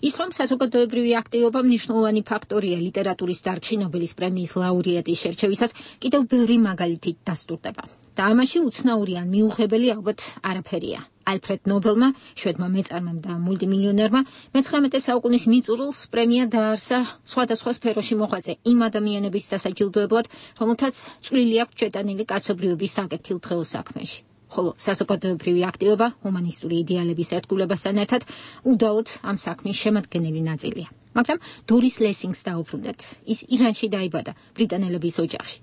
ის რომ საზოგადოებრივი აქტივობა მნიშვნელოვანი ფაქტორია ლიტერატურის დარგში ნობელის პრემიის ლაურეატის შერჩევისას, კიდევ ბევრი მაგალითით დასტურდება. და ამაში უცნაური ან მიუღებელი ალბათ არაფერია. ალფრედ ნობელმა, შვედმა მეწარმემ და მულტიმილიონერმა მეცხრამეტე საუკუნის მიწურულს პრემია დაარსა სხვადასხვა სფეროში მოღვაწე იმ ადამიანების დასაჯილდოებლად, რომელთაც წვლილი აქვს შეტანილი კაცობრიობის საკეთილდღეო საქმეში. ხოლო საზოგადოებრივი აქტივობა ჰუმანისტური იდეალების ერთგულებასთან ერთად უდაოდ ამ საქმის შემადგენელი ნაწილია. მაგრამ დორის ლესინგს დაუბრუნდეთ. ის ირანში დაიბადა, ბრიტანელების ოჯახში.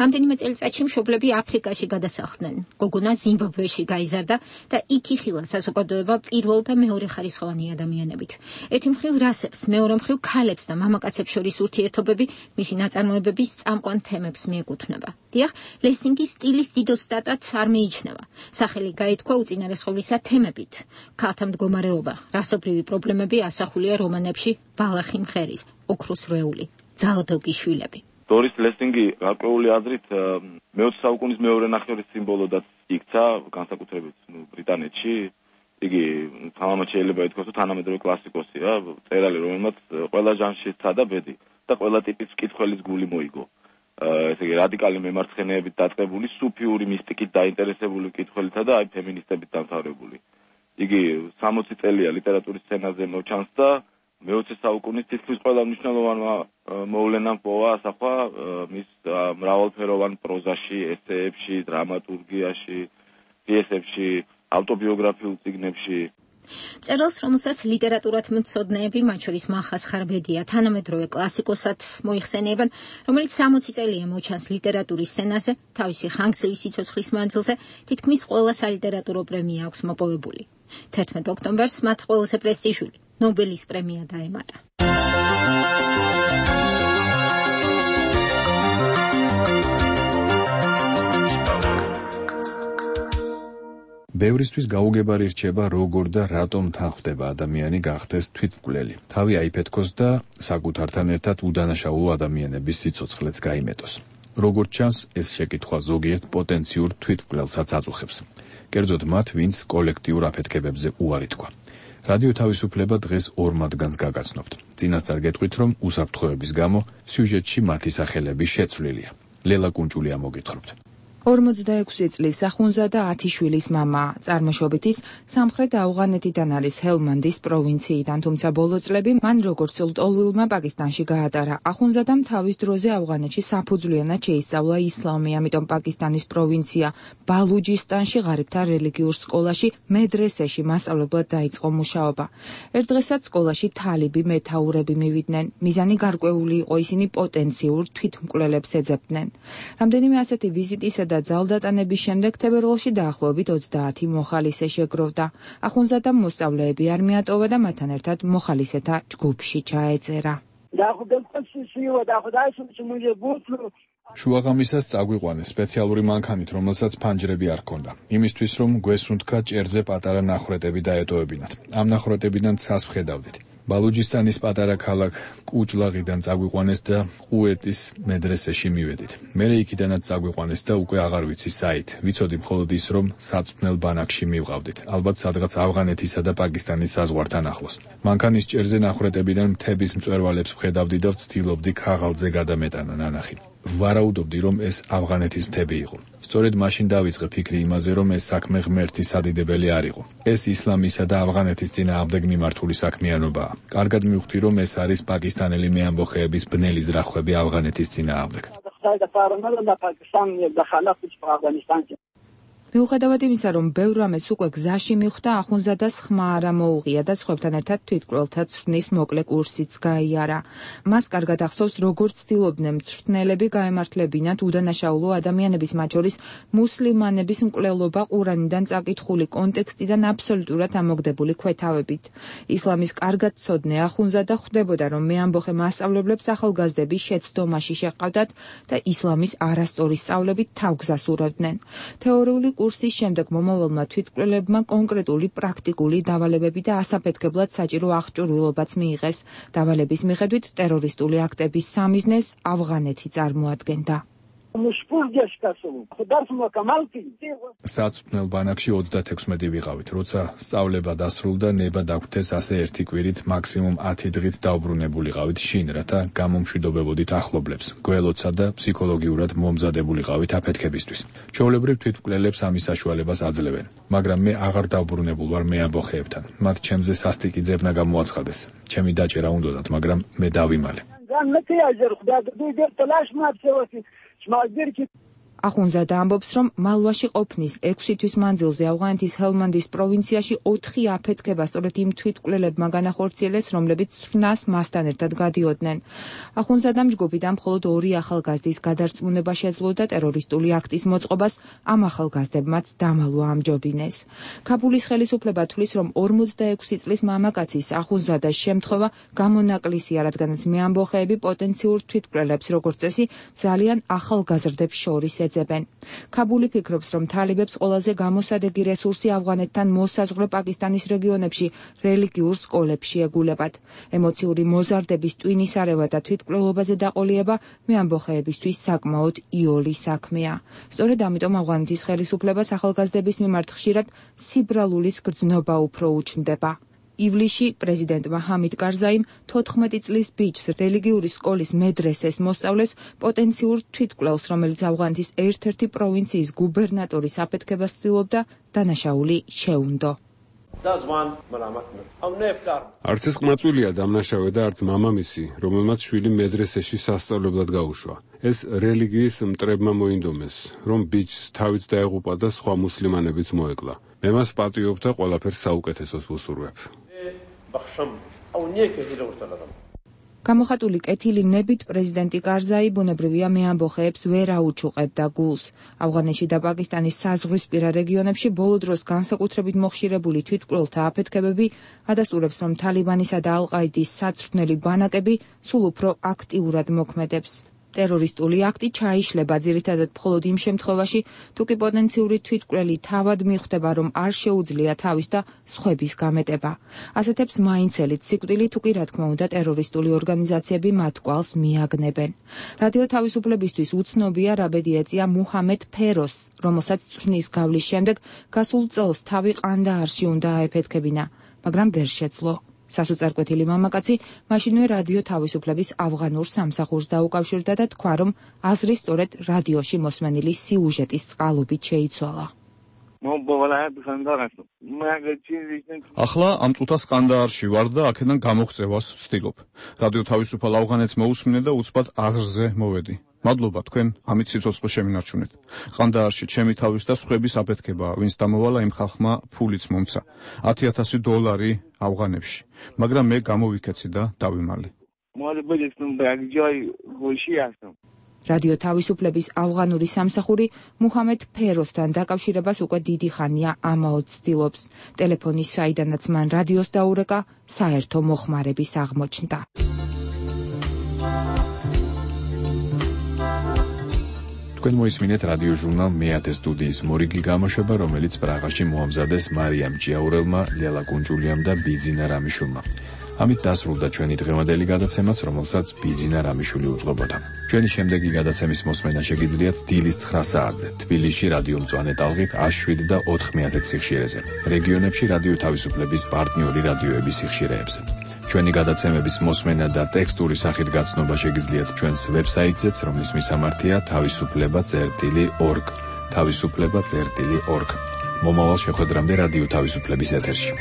რამდენიმე წელიწადში მშობლები აფრიკაში გადასახლდნენ. გოგონა ზიმბაბვეში გაიზარდა და იქ იხილა საზოგადოება პირველ და მეორე ხარისხოვანი ადამიანებით. ერთი მხრივ რასებს, მეორე მხრივ ქალებს და მამაკაცებს შორის ურთიერთობები მისი ნაწარმოებების წამყვან თემებს მიეკუთვნება. დიახ, ლესინგის სტილის დიდო სტატად არ მიიჩნევა. სახელი გაითქვა უწინარესხოვლისა თემებით. ქალთა მდგომარეობა, რასობრივი პრობლემები ასახულია რომანებში ბალახი მღერის, ოქროს რეული, ძალადობის შვილები. დორის ლესინგი გარკვეული აზრით მეოცე საუკუნის მეორე ნახევრის სიმბოლოდაც იქცა, განსაკუთრებით ბრიტანეთში. იგი თამამად შეიძლება ითქვას, რომ თანამედროვე კლასიკოსია, მწერალი, რომელმაც ყველა ჟანრში სცადა ბედი და ყველა ტიპის მკითხველის გული მოიგო. ესე იგი რადიკალი მემარცხენეებით დაწყებული, სუფიური მისტიკით დაინტერესებული მკითხველითა და აი ფემინისტებით დამთავრებული. იგი სამოცი წელია ლიტერატურის სცენაზე მოჩანს და მეოცე საუკუნის თითქმის ყველა მნიშვნელოვანმა მოვლენამ პოვა ასახვა მის მრავალფეროვან პროზაში, ესეებში, დრამატურგიაში, პიესებში, ავტობიოგრაფიულ წიგნებში. მწერალს, რომელსაც ლიტერატურად მცოდნეები, მათ შორის მალხას ხარბედია, თანამედროვე კლასიკოსად მოიხსენიებენ, რომელიც სამოცი წელია მოჩანს ლიტერატურის სცენაზე, თავისი ხანგრძლივი სიცოცხლის მანძილზე თითქმის ყველა სალიტერატურო პრემია აქვს მოპოვებული. თერთმეტ ოქტომბერს მათ ყველაზე პრესტიჟული ნობელის პრემია დაემატა. ბევრისთვის გაუგებარი რჩება, როგორ და რატომ თანხდება ადამიანი გახდეს თვითმკვლელი. თავი აიფეთქოს და საკუთართან ერთად უდანაშაულო ადამიანების სიცოცხლეც გაიმეტოს. როგორც ჩანს, ეს შეკითხვა ზოგიერთ პოტენციურ თვითმკვლელსაც აწუხებს. კერძოდ მათ, ვინც კოლექტიურ აფეთქებებზე უარი თქვა. რადიო თავისუფლება დღეს ორ მათგანს გაგაცნობთ. წინასწარ გეტყვით, რომ უსაფრთხოების გამო სიუჟეტში მათი სახელები შეცვლილია. ლელა კუნჭულია მოგითხრობთ. ორმოცდაექვსი წლის ახუნზადა ათი შვილის მამა, წარმოშობით ის სამხრეთ ავღანეთიდან არის ჰელმანდის პროვინციიდან, თუმცა ბოლო წლები მან როგორც ლტოლვილმა პაკისტანში გაატარა. ახუნზადამ თავის დროზე ავღანეთში საფუძვლიანად შეისწავლა ისლამი, ამიტომ პაკისტანის პროვინცია ბალუჯისტანში ღარიბთა რელიგიურ სკოლაში მედრესეში მასწავლებლად დაიწყო მუშაობა. ერთ დღესაც სკოლაში თალიბი მეთაურები მივიდნენ. მიზანი გარკვეული იყო, ისინი პოტენციურ თვითმკვლელებს ეძებდნენ. რამდენიმე ასეთი ვიზიტისა და ძალდატანების შემდეგ თებერვალში დაახლოებით ოცდაათი მოხალისე შეგროვდა. ახუნზადამ მოსწავლეები არ მიატოვა და მათთან ერთად მოხალისეთა ჯგუფში ჩაეწერა. შუაღამისას წაგვიყვანეს სპეციალური მანქანით, რომელსაც ფანჯრები არ ჰქონდა. იმისთვის რომ გვესუნთქა ჭერზე პატარა ნახრეტები დაეტოვებინათ. ამ ნახრეტებიდან ცას ვხედავდით. ბალუჯისტანის პატარა ქალაქ კუჭლაღიდან წაგვიყვანეს და ყუეტის მედრესეში მივედით. მერე იქიდანაც წაგვიყვანეს და უკვე აღარ ვიცი საით. ვიცოდი მხოლოდ ის, რომ საწვრთნელ ბანაკში მივყავდით. ალბათ სადღაც ავღანეთისა და პაკისტანის საზღვართან ახლოს. მანქანის ჭერზე ნახრეტებიდან მთების მწვერვალებს ვხედავდი და ვცდილობდი ქაღალდზე გადამეტანა ნანახი. ვარაუდობდი, რომ ეს ავღანეთის მთები იყო. სწორედ მაშინ დავიწყე ფიქრი იმაზე, რომ ეს საქმე ღმერთის სადიდებელი არ იყო. ეს ისლამისა და ავღანეთის წინააღმდეგ მიმართული საქმიანობაა. კარგად მივხვდი, რომ ეს არის პაკისტანელი მეამბოხეების ბნელი ზრახვები ავღანეთის წინააღმდეგ. მიუხედავად იმისა, რომ ბევრ რამეს უკვე გზაში მიხვდა, ახუნზადას ხმა არ ამოუღია და სხვებთან ერთად თვითმკვლელთა ცვრნის მოკლე კურსიც გაიარა. მას კარგად ახსოვს, როგორც ცდილობდნენ მწვრთნელები გაემართლებინათ უდანაშაულო ადამიანების, მათ შორის მუსლიმანების მკვლელობა ყურანიდან წაკითხული კონტექსტიდან აბსოლუტურად ამოგდებული ქვეთავებით. ისლამის კარგად ცოდნე ახუნზადა ხვდებოდა, რომ მეამბოხე მასწავლებლებს ახალგაზრდების შეცდომაში შეყავდათ და ისლამის არასწორი სწავლებით თავგზას ურავდნენ. თეორიული კურსის შემდეგ მომავალმა თვითმკვლელებმა კონკრეტული პრაქტიკული დავალებები და ასაფეთქებლად საჭირო აღჭურვილობაც მიიღეს. დავალების მიხედვით ტერორისტული აქტების სამიზნეს ავღანეთი წარმოადგენდა. საწვრთნელ ბანაკში ოცდათექვსმეტი ვიყავით, როცა სწავლება დასრულდა, ნება დაგვთეს ასე ერთი კვირით მაქსიმუმ ათი დღით დაუბრუნებულიყავით შინ, რათა გამომშვიდობებოდით ახლობლებს, გველოცა და ფსიქოლოგიურად მომზადებულიყავით აფეთქებისთვის. ჩვეულებრივ თვითმკვლელებს ამის საშუალებას აძლევენ, მაგრამ მე აღარ დავბრუნებულ ვარ მეამბოხეებთან. მათ ჩემზე სასტიკი ძებნა გამოაცხადეს. ჩემი დაჭერა უნდოდათ, მაგრამ მე დავიმალე. ახუნზადა ამბობს, რომ მალვაში ყოფნის ექვსი თვის მანძილზე ავღანეთის ჰელმანდის პროვინციაში ოთხი აფეთქება სწორედ იმ თვითმკვლელებმა განახორციელეს, რომლებიც ცვრნას მასთან ერთად გადიოდნენ. ახუნზადამ ჯგუფიდან მხოლოდ ორი ახალგაზრდის გადარწმუნება შეძლო და ტერორისტული აქტის მოწყობას ამ ახალგაზრდებმაც დამალვა ამჯობინეს. ქაბულის ხელისუფლება თვლის, რომ ორმოცდაექვსი წლის მამაკაცის ახუნზადას შემთხვევა გამონაკლისია, რადგანაც მეამბოხეები პოტენციურ თვითმკვლელებს, როგორც წესი, ძალიან ახალგაზრდებს შორის ეძებენ. ქაბული ფიქრობს, რომ თალებებს ყველაზე გამოსადეგი რესურსი ავღანეთთან მოსაზღვრე პაკისტანის რეგიონებში რელიგიურ სკოლებში ეგულებათ. ემოციური მოზარდების ტვინისარევა და თვითმკვლელობაზე დაყოლიება მეამბოხეებისთვის საკმაოდ იოლი საქმეა. სწორედ ამიტომ ავღანეთის ხელისუფლებას ახალგაზრდების მიმართ ხშირად სიბრალულის გრძნობა უფრო უჩნდება. ივლისში პრეზიდენტმა ჰამიდ კარზაიმ თოთხმეტი წლის ბიჭს რელიგიური სკოლის მედრესეს მოსწავლეს პოტენციურ თვითმკვლელს, რომელიც ავღანეთის ერთ-ერთი პროვინციის გუბერნატორის აფეთქებას ცდილობდა, დანაშაული შეუნდო. არც ეს ყმაწვილია დამნაშავე და არც მამამისი, რომელმაც შვილი მედრესეში სასწავლებლად გაუშვა. ეს რელიგიის მტრებმა მოინდომეს, რომ ბიჭს თავით დაეღუპა და სხვა მუსლიმანებიც მოეკლა. მე მას პატიობ და ყველაფერს საუკეთესოს ვუსურვებ. გამოხატული კეთილი ნებით პრეზიდენტი კარზაი ბუნებრივია მეამბოხეებს ვერ აუჩუყებდა გულს. ავღანეთში და პაკისტანის საზღვრისპირა რეგიონებში ბოლო დროს განსაკუთრებით მოხშირებული თვითმკვლელთა აფეთქებები ადასტურებს, რომ თალიბანისა და ალ-ყაიდის საწვრთნელი ბანაკები სულ უფრო აქტიურად მოქმედებს. ტერორისტული აქტი ჩაიშლება ძირითადად მხოლოდ იმ შემთხვევაში, თუ კი პოტენციური თვითმკვლელი თავად მიხვდება, რომ არ შეუძლია თავის და სხვების გამეტება. ასეთებს მაინცელით სიკვდილი, თუ კი რა თქმა უნდა ტერორისტული ორგანიზაციები მათ კვალს მიაგნებენ. რადიო თავისუფლებისთვის უცნობია რა ბედი ეწია მუჰამედ ფეროს, რომელსაც წვრთნის გავლის შემდეგ გასულ წელს თავი ყანდაარში უნდა აეფეთქებინა, მაგრამ ვერ შეძლო. სასოწარკვეთილი მამაკაცი მაშინვე რადიო თავისუფლების ავღანურ სამსახურს დაუკავშირდა და თქვა, რომ აზრი სწორედ რადიოში მოსმენილი სიუჟეტის წყალობით შეიცვალა. ახლა ამ წუთას ყანდაარში ვარ და აქედან გამოღწევას ვცდილობ. რადიო თავისუფალ ავღანეთს მოусმინე და უცბად აზრზე მოვედი. მადლობა თქვენ ამით სიცოცხლე შემინარჩუნეთ. ყანდაარში ჩემი თავის და სხვების აფეთქებაა, ვინც დამოვალა იმ ხალხმა ფულიც მომცა. ათი ათასი დოლარი ავღანებში. მაგრამ მე გამოვიქეცი და დავიმალე. რადიო თავისუფლების ავღანური სამსახური მუჰამედ ფეროსთან დაკავშირებას უკვე დიდი ხანია ამაოდ ცდილობს. ტელეფონის საიდანაც მან რადიოს დაურეკა, საერთო მოხმარების აღმოჩნდა. თქვენ მოისმინეთ რადიო ჟურნალ მეათე სტუდიის მორიგი გამოშვება, რომელიც პრაღაში მოამზადეს მარიამ ჭიაურელმა, ლელა კუნჯულიამ და ბიძინა რამიშულმა. ამით დასრულდა ჩვენი დღევანდელი გადაცემაც, რომელსაც ბიძინა რამიშვილი უძღვებოდა. ჩვენი შემდეგი გადაცემის მოსმენა შეგიძლიათ დილის ცხრა საათზე, თბილისში რადიო მწვანე ტალღით ას შვიდ და ოთხ მეათე სიხშირეზე, რეგიონებში რადიო თავისუფლების პარტნიორი რადიოების სიხშირეებზე. ჩვენი გადაცემების მოსმენა და ტექსტური სახით გაცნობა შეგიძლიათ ჩვენს ვებსაიტზეც, რომლის მისამართია თავისუფლება წერტილი ორგ. თავისუფლება წერტილი ორგ. მომავალ შეხვედრამდე რადიო თავისუფლების ეთერში.